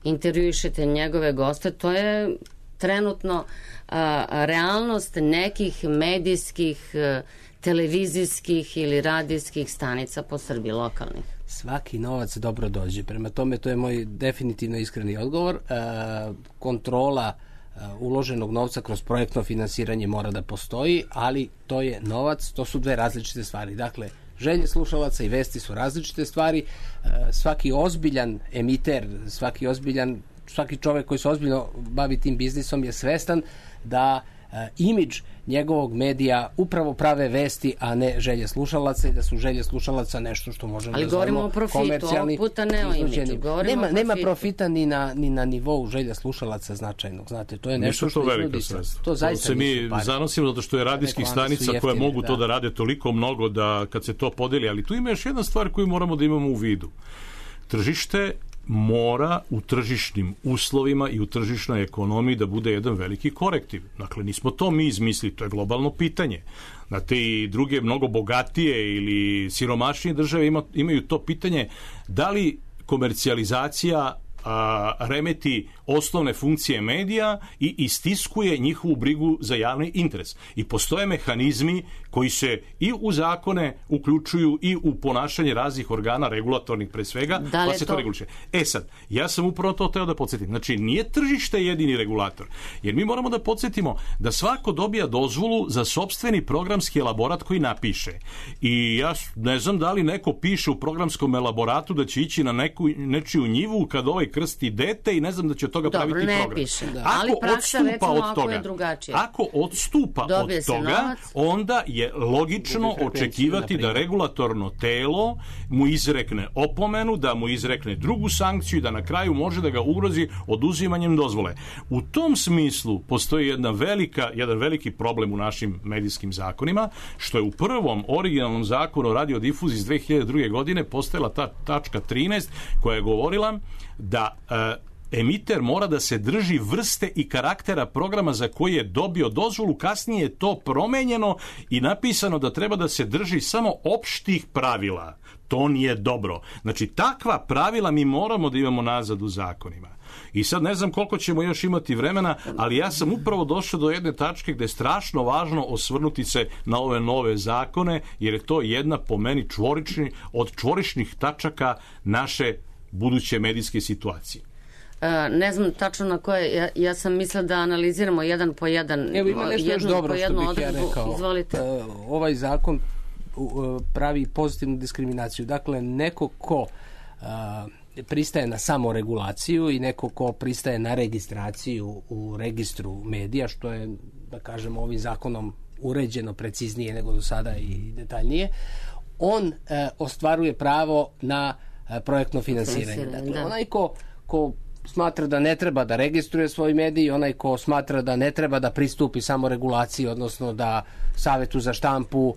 intervjuišete njegove goste. To je trenutno a, realnost nekih medijskih, a, televizijskih ili radijskih stanica po Srbiji, lokalnih. Svaki novac dobro dođe. Prema tome, to je moj definitivno iskreni odgovor. E, kontrola e, uloženog novca kroz projektno finansiranje mora da postoji, ali to je novac, to su dve različite stvari. Dakle, želje slušalaca i vesti su različite stvari. E, svaki ozbiljan emiter, svaki ozbiljan, svaki čovek koji se ozbiljno bavi tim biznisom je svestan da e, imidž njegovog medija upravo prave vesti, a ne želje slušalaca, i da su želje slušalaca nešto što možemo ali da zovemo komercijalni. Ali govorimo o profitu, ovog puta ne o imidžu. Nema, nema profita ni na, ni na nivou želja slušalaca značajnog. Znate, to je nešto Nisu to što izvodi se. To zaista se mi zanosimo zato što je radijskih stanica koje mogu da. to da rade toliko mnogo da kad se to podeli, ali tu ima još jedna stvar koju moramo da imamo u vidu. Tržište mora u tržišnim uslovima i u tržišnoj ekonomiji da bude jedan veliki korektiv. Dakle, nismo to mi izmislili, to je globalno pitanje. Znate, i druge mnogo bogatije ili siromašnije države ima, imaju to pitanje da li komercijalizacija a, remeti osnovne funkcije medija i istiskuje njihovu brigu za javni interes. I postoje mehanizmi koji se i u zakone uključuju i u ponašanje raznih organa, regulatornih pre svega, pa se to, to reguliše. E sad, ja sam upravo to teo da podsjetim. Znači, nije tržište jedini regulator, jer mi moramo da podsjetimo da svako dobija dozvolu za sopstveni programski elaborat koji napiše. I ja ne znam da li neko piše u programskom elaboratu da će ići na neku, nečiju njivu kad ovaj krsti dete i ne znam da će od toga Dobro, praviti ne program. Piše, da. Ako ali praksa, odstupa recimo, od ako toga, je drugačije. Ako odstupa Dobije od toga, novac, onda je logično očekivati da regulatorno telo mu izrekne opomenu, da mu izrekne drugu sankciju i da na kraju može da ga ugrozi oduzimanjem dozvole. U tom smislu postoji jedna velika, jedan veliki problem u našim medijskim zakonima, što je u prvom originalnom zakonu o radiodifuziji iz dve hiljade druge. godine postojala ta tačka trinaest koja je govorila da e, emiter mora da se drži vrste i karaktera programa za koji je dobio dozvolu, kasnije je to promenjeno i napisano da treba da se drži samo opštih pravila. To nije dobro. Znači, takva pravila mi moramo da imamo nazad u zakonima. I sad ne znam koliko ćemo još imati vremena, ali ja sam upravo došao do jedne tačke gde je strašno važno osvrnuti se na ove nove zakone, jer je to jedna po meni čvorični, od čvorišnih tačaka naše buduće medijske situacije. Uh, ne znam tačno na koje, ja, ja sam mislila da analiziramo jedan po jedan. Evo ima nešto još dobro što bih odredbu. Ja rekao. Izvolite. Uh, ovaj zakon uh, pravi pozitivnu diskriminaciju. Dakle, neko ko uh, pristaje na samoregulaciju i neko ko pristaje na registraciju u registru medija, što je, da kažemo, ovim zakonom uređeno preciznije nego do sada i detaljnije, on uh, ostvaruje pravo na uh, projektno finansiranje. Dakle, da. onaj ko, ko smatra da ne treba da registruje svoj medij, onaj ko smatra da ne treba da pristupi samoregulaciji, odnosno da Savetu za štampu uh,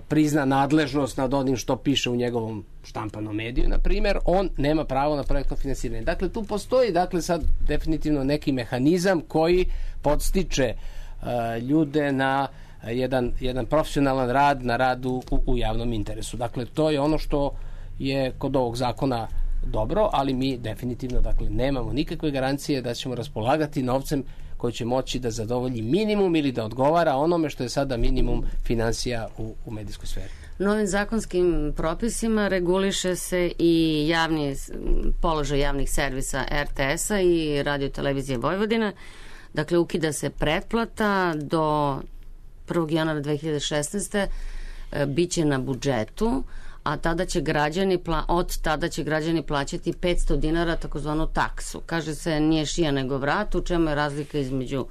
prizna nadležnost nad onim što piše u njegovom štampanom mediju, na primjer, on nema pravo na projektno finansiranje. Dakle, tu postoji, dakle, sad definitivno neki mehanizam koji podstiče uh, ljude na jedan, jedan profesionalan rad, na radu u, u javnom interesu. Dakle, to je ono što je kod ovog zakona dobro, ali mi definitivno, dakle, nemamo nikakve garancije da ćemo raspolagati novcem koji će moći da zadovolji minimum ili da odgovara onome što je sada minimum finansija u, u medijskoj sferi. Novim zakonskim propisima reguliše se i javni položaj javnih servisa er te es-a i Radio televizije Vojvodina. Dakle, ukida se pretplata do prvog januara dve hiljade šesnaeste. bit će na budžetu, a tada će građani, od tada će građani plaćati petsto dinara takozvanu taksu. Kaže se nije šija nego vrat, u čemu je razlika između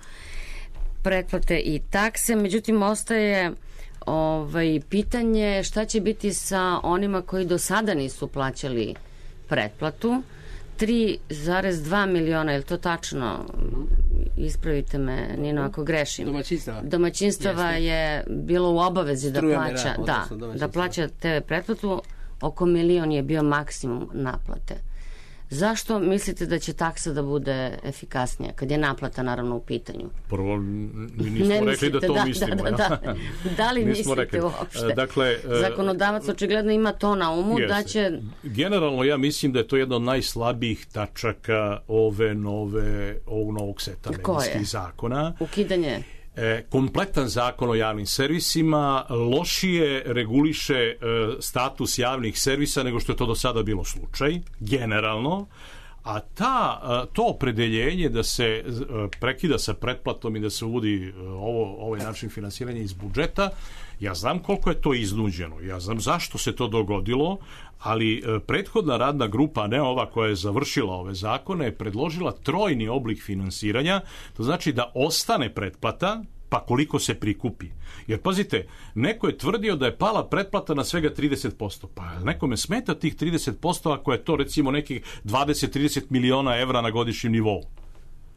pretplate i takse. Međutim, ostaje ovaj, pitanje šta će biti sa onima koji do sada nisu plaćali pretplatu. tri zarez dva miliona, je li to tačno? Ispravite me, Nino, ako grešim. Domaćinstava. Domaćinstava je bilo u obavezi da plaća, da, da plaća te ve pretplatu. Oko milion je bio maksimum naplate. Zašto mislite da će taksa da bude efikasnija, kad je naplata naravno u pitanju? Prvo, mi nismo ne rekli mislite, da to da, mislimo. Da, da, da. Da li mislite rekli. uopšte? Dakle, zakonodavac očigledno ima to na umu jeste. Da će... Generalno ja mislim da je to jedna od najslabijih tačaka ove nove, ovog novog seta medijskih zakona. Ukidanje? E, kompletan zakon o javnim servisima lošije reguliše e, status javnih servisa nego što je to do sada bilo slučaj, generalno, a ta, to opredeljenje da se prekida sa pretplatom i da se uvodi ovo, ovaj način finansiranja iz budžeta, ja znam koliko je to iznuđeno, ja znam zašto se to dogodilo, ali prethodna radna grupa, ne ova koja je završila ove zakone, je predložila trojni oblik finansiranja, to znači da ostane pretplata, pa koliko se prikupi. Jer pazite, neko je tvrdio da je pala pretplata na svega trideset posto. Pa nekome smeta tih trideset posto ako je to recimo nekih dvadeset do trideset miliona evra na godišnjem nivou.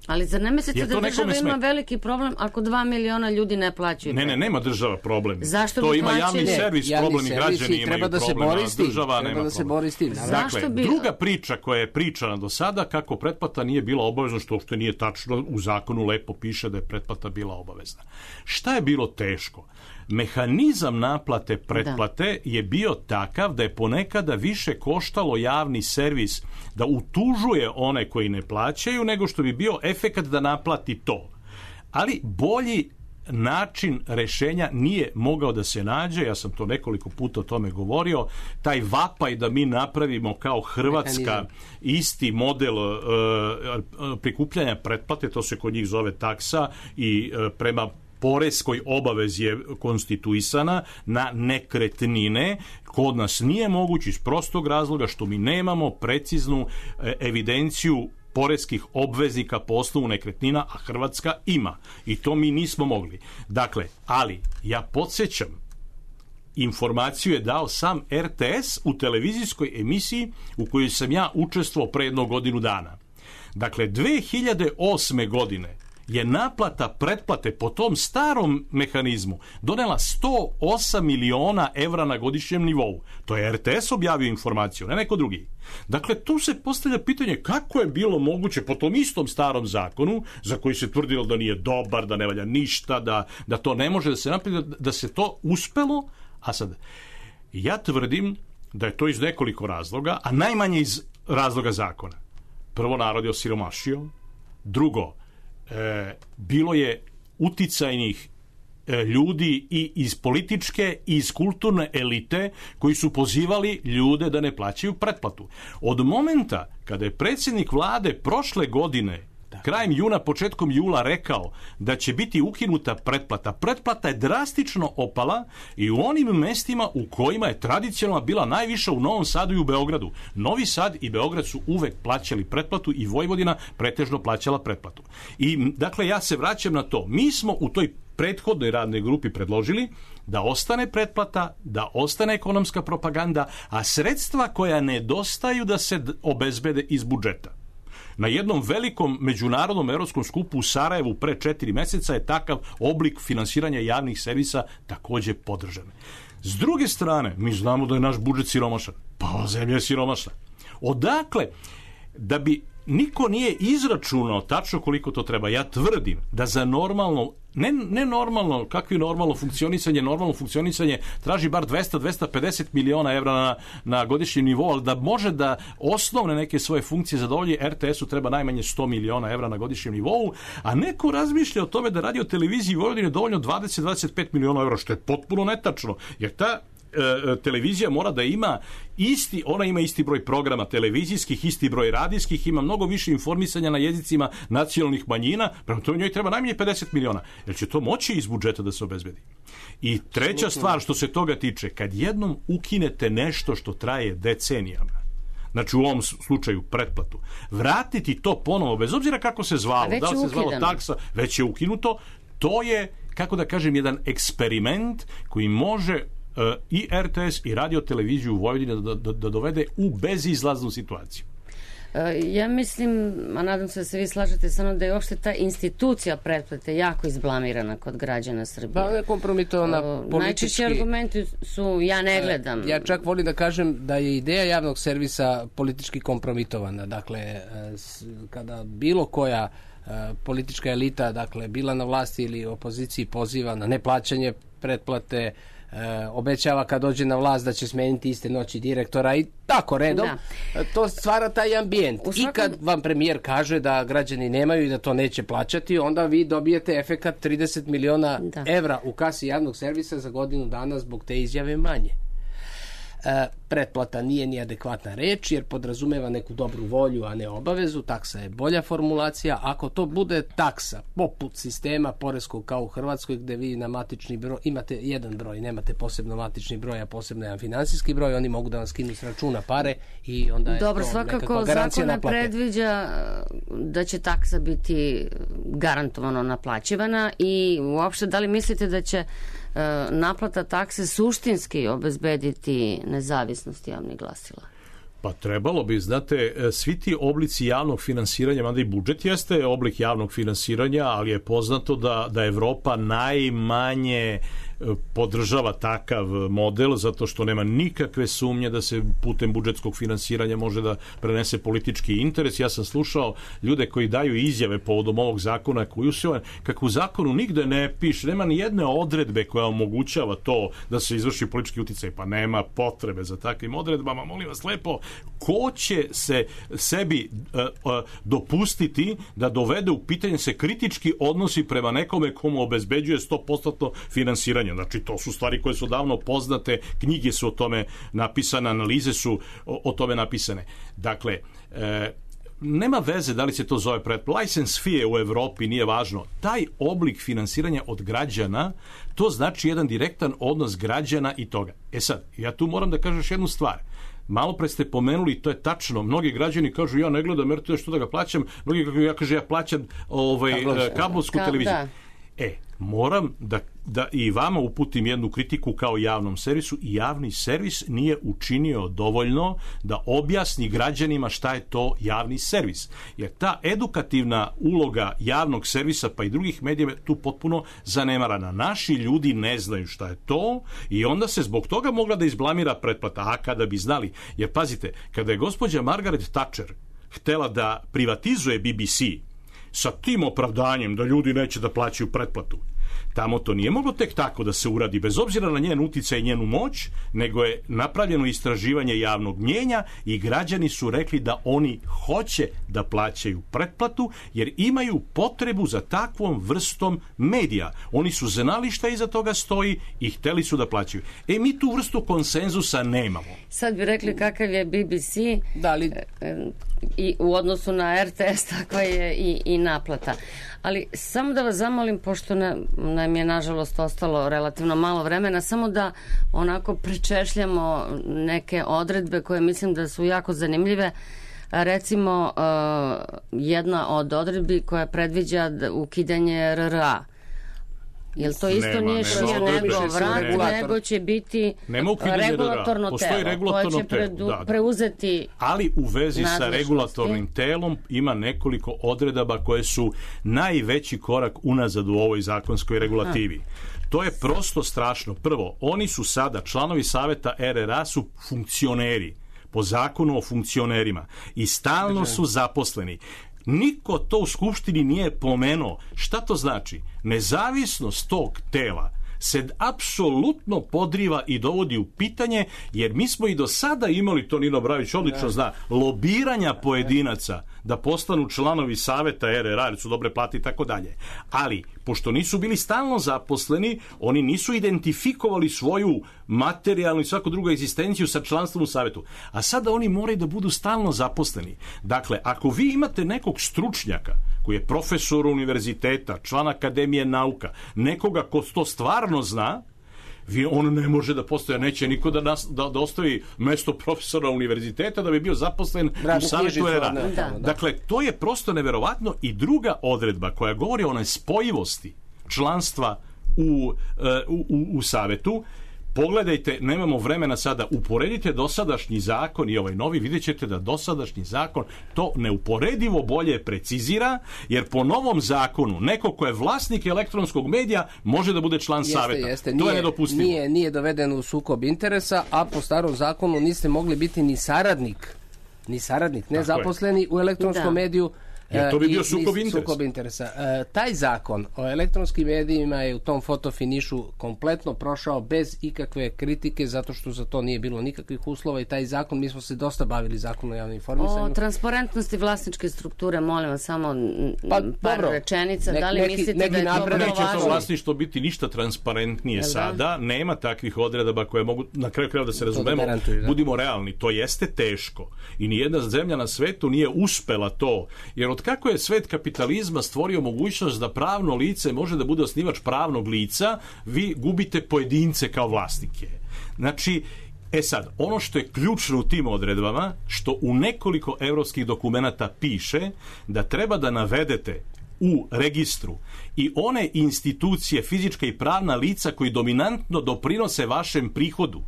Ali zar ne mislite da država ima veliki problem ako dva miliona ljudi ne plaćaju? Ne, ne, nema država problem. Zašto to bi ima plaćali? javni servis, javni problem i građani imaju da problem, a država nema da se bori s tim. Dakle, bi... druga priča koja je pričana do sada, kako pretplata nije bila obavezna, što uopšte nije tačno, u zakonu lepo piše da je pretplata bila obavezna. Šta je bilo teško? Mehanizam naplate pretplate da. je bio takav da je ponekada više koštalo javni servis da utužuje one koji ne plaćaju nego što bi bio efekat da naplati to. Ali bolji način rešenja nije mogao da se nađe, ja sam to nekoliko puta o tome govorio, taj vapaj da mi napravimo kao Hrvatska mehanizam. Isti model uh, prikupljanja pretplate, to se kod njih zove taksa i uh, prema poreskoj obavezi je konstituisana na nekretnine, kod nas nije moguće iz prostog razloga što mi nemamo preciznu evidenciju poreskih obveznika po osnovu nekretnina, a Hrvatska ima. I to mi nismo mogli. Dakle, ali ja podsjećam, informaciju je dao sam er te es u televizijskoj emisiji u kojoj sam ja učestvovao pre jednog godinu dana. Dakle, dve hiljade osme godine je naplata pretplate po tom starom mehanizmu donela sto osam miliona evra na godišnjem nivou. To je er te es objavio informaciju, ne neko drugi. Dakle, tu se postavlja pitanje kako je bilo moguće po tom istom starom zakonu, za koji se tvrdilo da nije dobar, da ne valja ništa, da, da to ne može da se napravi, da, da se to uspelo. A sad, ja tvrdim da je to iz nekoliko razloga, a najmanje iz razloga zakona. Prvo, narod je osiromašio. Drugo, E, bilo je uticajnih e, ljudi i iz političke i iz kulturne elite koji su pozivali ljude da ne plaćaju pretplatu. Od momenta kada je predsjednik vlade prošle godine krajem juna, početkom jula rekao da će biti ukinuta pretplata. Pretplata je drastično opala i u onim mestima u kojima je tradicionalno bila najviša u Novom Sadu i u Beogradu. Novi Sad i Beograd su uvek plaćali pretplatu i Vojvodina pretežno plaćala pretplatu. I dakle, ja se vraćam na to. Mi smo u toj prethodnoj radnoj grupi predložili da ostane pretplata, da ostane ekonomska propaganda, a sredstva koja nedostaju da se obezbede iz budžeta. Na jednom velikom međunarodnom evropskom skupu u Sarajevu pre četiri meseca je takav oblik finansiranja javnih servisa takođe podržan. S druge strane, mi znamo da je naš budžet siromašan. Pa zemlja je siromašna. Odakle, da bi niko nije izračunao tačno koliko to treba, ja tvrdim da za normalno, ne, ne normalno, kakvi normalno funkcionisanje, normalno funkcionisanje traži bar dvesta do dvesta pedeset miliona evra na, na godišnjem nivou, ali da može da osnovne neke svoje funkcije zadovolji, er te esu treba najmanje sto miliona evra na godišnjem nivou, a neko razmišlja o tome da radio televiziji Vojvodine dovoljno dvadeset do dvadeset pet miliona evra, što je potpuno netačno, jer ta e, televizija mora da ima isti, ona ima isti broj programa televizijskih, isti broj radijskih, ima mnogo više informisanja na jezicima nacionalnih manjina, prema tome njoj treba najmanje pedeset miliona. Jer će to moći iz budžeta da se obezbedi. I treća stvar što se toga tiče, kad jednom ukinete nešto što traje decenijama, znači u ovom slučaju pretplatu, vratiti to ponovo, bez obzira kako se zvalo, da li se zvalo taksa, već je ukinuto, to je, kako da kažem, jedan eksperiment koji može uh, i R T S i radio televiziju u Vojvodini da, da, da dovede u bezizlaznu situaciju. Ja mislim, a nadam se da se vi slažete sa mnom, da je uopšte ta institucija pretplate jako izblamirana kod građana Srbije. Pa je kompromitovana politički. Najčešći argumenti su ja ne gledam. Ja čak volim da kažem da je ideja javnog servisa politički kompromitovana. Dakle, kada bilo koja politička elita, dakle, bila na vlasti ili opoziciji, poziva na neplaćanje pretplate, E, obećava kad dođe na vlast da će smeniti iste noći direktora i tako redom, da. To stvara taj ambijent. Svakom... I kad vam premijer kaže da građani nemaju i da to neće plaćati, onda vi dobijete efekat trideset miliona da. evra u kasi javnog servisa za godinu dana zbog te izjave manje. E, pretplata nije ni adekvatna reč jer podrazumeva neku dobru volju, a ne obavezu. Taksa je bolja formulacija. Ako to bude taksa poput sistema poreskog kao u Hrvatskoj gde vi na matični broj imate jedan broj, nemate posebno matični broj, a posebno jedan finansijski broj, oni mogu da vam skinu s računa pare i onda je Dobro, to nekakva garancija naplate. Dobro, svakako zakon predviđa da će taksa biti garantovano naplaćivana i uopšte da li mislite da će naplata takse suštinski obezbediti nezavisnost javnih glasila? Pa trebalo bi, znate, svi ti oblici javnog finansiranja, mada i budžet jeste oblik javnog finansiranja, ali je poznato da, da Evropa najmanje podržava takav model zato što nema nikakve sumnje da se putem budžetskog finansiranja može da prenese politički interes. Ja sam slušao ljude koji daju izjave povodom ovog zakona koji usvojen, kako u zakonu nigde ne piše, nema ni jedne odredbe koja omogućava to da se izvrši politički uticaj, pa nema potrebe za takvim odredbama. Molim vas lepo, ko će se sebi uh, uh, dopustiti da dovede u pitanje se kritički odnosi prema nekome komu obezbeđuje sto posto finansiranje? Znači, to su stvari koje su davno poznate, knjige su o tome napisane, analize su o, o tome napisane. Dakle, e, nema veze da li se to zove pretplata. License fee u Evropi nije važno. Taj oblik finansiranja od građana, to znači jedan direktan odnos građana i toga. E sad, ja tu moram da kažem još jednu stvar. Malo pre ste pomenuli, to je tačno, mnogi građani kažu ja ne gledam R T S, što da ga plaćam, mnogi kažu ja, kaže, ja plaćam ovaj, kablovsku televiziju. Da. E, moram da, da i vama uputim jednu kritiku kao javnom servisu i javni servis nije učinio dovoljno da objasni građanima šta je to javni servis. Jer ta edukativna uloga javnog servisa pa i drugih medija je tu potpuno zanemarana. Naši ljudi ne znaju šta je to i onda se zbog toga mogla da izblamira pretplata. A kada bi znali, jer pazite, kada je gospođa Margaret Thatcher htela da privatizuje B B C sa tim opravdanjem da ljudi neće da plaćaju pretplatu, tamo to nije moglo tek tako da se uradi, bez obzira na njen uticaj i njenu moć, nego je napravljeno istraživanje javnog mnjenja i građani su rekli da oni hoće da plaćaju pretplatu jer imaju potrebu za takvom vrstom medija. Oni su znali šta iza toga stoji i hteli su da plaćaju. E, mi tu vrstu konsenzusa nemamo. Sad bi rekli kakav je B B C, da li... i u odnosu na R T S takva je i, i naplata. Ali samo da vas zamolim, pošto na, nam je nažalost ostalo relativno malo vremena, samo da onako prečešljamo neke odredbe koje mislim da su jako zanimljive. Recimo, uh, jedna od odredbi koja predviđa ukidanje R R A. Jel to isto nema, nije što nego vrat, nego će biti regulatorno telo koje će predu, da, da. preuzeti. Ali u vezi sa regulatornim telom ima nekoliko odredaba koje su najveći korak unazad u ovoj zakonskoj regulativi. Aha. To je prosto strašno. Prvo, oni su sada, članovi saveta R R A su funkcioneri po zakonu o funkcionerima i stalno su zaposleni. Niko to u Skupštini nije pomenuo. Šta to znači? Nezavisnost tog tela se apsolutno podriva i dovodi u pitanje, jer mi smo i do sada imali, to Nino Bravić odlično zna, lobiranja pojedinaca da postanu članovi saveta R R A, jer su dobre plate i tako dalje. Ali, pošto nisu bili stalno zaposleni, oni nisu identifikovali svoju materijalnu i svaku drugu egzistenciju sa članstvom u savetu. A sada oni moraju da budu stalno zaposleni. Dakle, ako vi imate nekog stručnjaka koji je profesor univerziteta, član Akademije nauka, nekoga ko to stvarno zna, vi, on ne može da postoje, neće niko da, nas, da, da ostavi mesto profesora univerziteta da bi bio zaposlen u savetu R R A. Da, da. Dakle, to je prosto neverovatno. I druga odredba koja govori o nespojivosti članstva u, u, u, u savetu, pogledajte, nemamo vremena sada, uporedite dosadašnji zakon i ovaj novi, vidjet ćete da dosadašnji zakon to neuporedivo bolje precizira, jer po novom zakonu neko ko je vlasnik elektronskog medija može da bude član jeste, saveta. Jeste. To nije, je nedopustivo. Nije, nije doveden u sukob interesa, a po starom zakonu niste mogli biti ni saradnik, ni saradnik, ne zaposleni u elektronskom da. mediju. Jer to bi bio sukob interesa. Sukob interesa. E, taj zakon o elektronskim medijima je u tom fotofinišu kompletno prošao bez ikakve kritike, zato što za to nije bilo nikakvih uslova i taj zakon, mi smo se dosta bavili zakonom o javnom informisanju. O transparentnosti vlasničke strukture, molim vas, samo pa, par dobro. rečenica. Nek, da li neki, mislite neki da je to vrlo važno? Neće to vlasništvo biti ništa transparentnije Jel sada. Da? Nema takvih odredaba koje mogu, na kraju krajeva da se razumemo, da budimo realni. To jeste teško. I nijedna zemlja na svetu nije uspela to. Jer od kako je svet kapitalizma stvorio mogućnost da pravno lice može da bude osnivač pravnog lica, vi gubite pojedince kao vlasnike. Znači, e sad, ono što je ključno u tim odredbama, što u nekoliko evropskih dokumenata piše da treba da navedete u registru i one institucije, fizička i pravna lica koji dominantno doprinose vašem prihodu.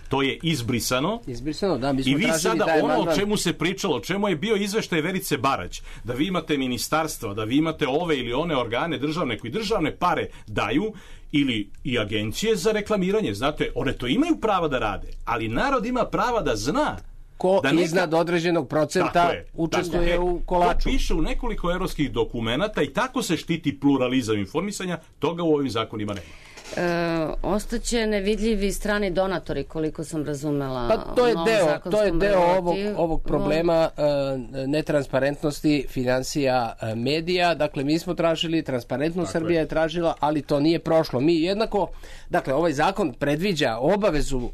To je izbrisano. Izbrisano, da, mi smo I vi sada ono mandat. O čemu se pričalo, o čemu je bio izveštaj Verice Barać, da vi imate ministarstva, da vi imate ove ili one organe državne koji državne pare daju, ili i agencije za reklamiranje. Znate, one to imaju prava da rade, ali narod ima prava da zna ko da neka... iznad određenog procenta je, učestvuje je, u kolaču. To piše u nekoliko evropskih dokumenata i tako se štiti pluralizam informisanja, toga u ovim zakonima nema. E, ostaće nevidljivi strani donatori, koliko sam razumela. Pa to je deo, to je deo ovog, ovog problema e, netransparentnosti financija e, medija. Dakle, mi smo tražili, transparentnost Srbija je tražila, ali to nije prošlo. Mi jednako, dakle, ovaj zakon predviđa obavezu e,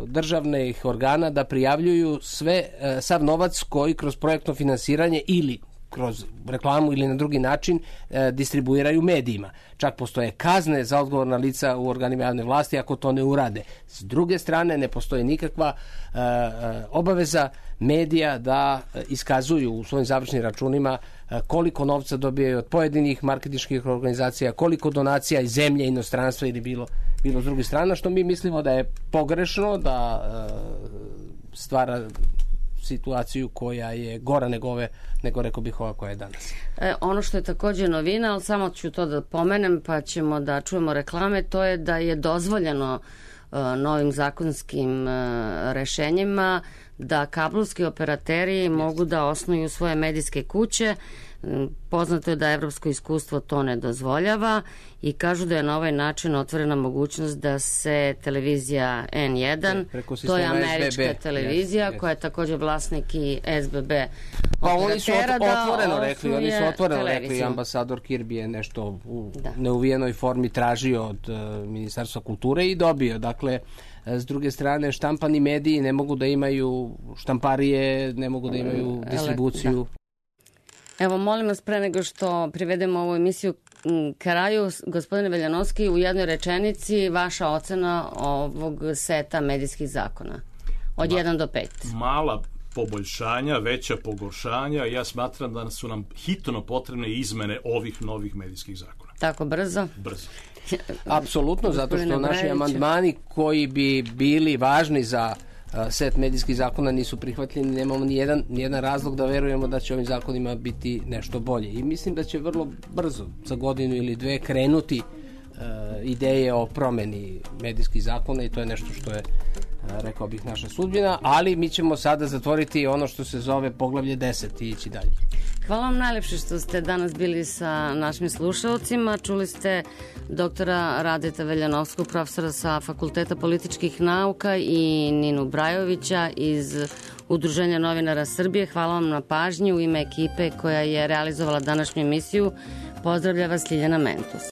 državnih organa da prijavljuju sve, e, sav novac koji kroz projektno finansiranje ili kroz reklamu ili na drugi način e, distribuiraju medijima. Čak postoje kazne za odgovorna lica u organima javne vlasti ako to ne urade. S druge strane, ne postoji nikakva e, obaveza medija da iskazuju u svojim završnim računima e, koliko novca dobijaju od pojedinih marketinških organizacija, koliko donacija iz zemlje, inostranstva ili bilo, bilo s druge strane, što mi mislimo da je pogrešno, da e, stvara situaciju koja je gora nego ove, nego rekao bih ova koja je danas. E, ono što je također novina, ali samo ću to da pomenem pa ćemo da čujemo reklame, to je da je dozvoljeno e, novim zakonskim e, rešenjima da kablovski operateri mogu da osnuju svoje medijske kuće. Poznato je da evropsko iskustvo to ne dozvoljava i kažu da je na ovaj način otvorena mogućnost da se televizija N jedan, to je američka S B B televizija yes, yes. koja je također vlasnik i S B B pa oni su otvoreno rekli, oni su otvoreno rekli, ambasador Kirby je nešto u da. neuvijenoj formi tražio od uh, Ministarstva kulture i dobio. Dakle, s druge strane, štampani mediji ne mogu da imaju štamparije, ne mogu da imaju distribuciju. Da. Evo, molim vas, pre nego što privedemo ovu emisiju kraju, gospodine Veljanovski, u jednoj rečenici vaša ocena ovog seta medijskih zakona. Od Ma, jedan do pet. Mala poboljšanja, veća pogoršanja. Ja smatram da su nam hitno potrebne izmene ovih novih medijskih zakona. Tako brzo? Brzo. Apsolutno, zato što naši amandmani koji bi bili važni za set medijskih zakona nisu prihvatljeni, nemamo ni jedan, ni jedan razlog da verujemo da će ovim zakonima biti nešto bolje. I mislim da će vrlo brzo, za godinu ili dve, krenuti uh, ideje o promeni medijskih zakona i to je nešto što je rekao bih, naša sudbina, ali mi ćemo sada zatvoriti ono što se zove poglavlje deset i ići dalje. Hvala vam najlepše što ste danas bili sa našim slušalcima. Čuli ste doktora Radeta Veljanovskog, profesora sa Fakulteta političkih nauka, i Ninu Brajovića iz Udruženja novinara Srbije. Hvala vam na pažnji. U ime ekipe koja je realizovala današnju emisiju pozdravlja vas Ljiljana Mentus.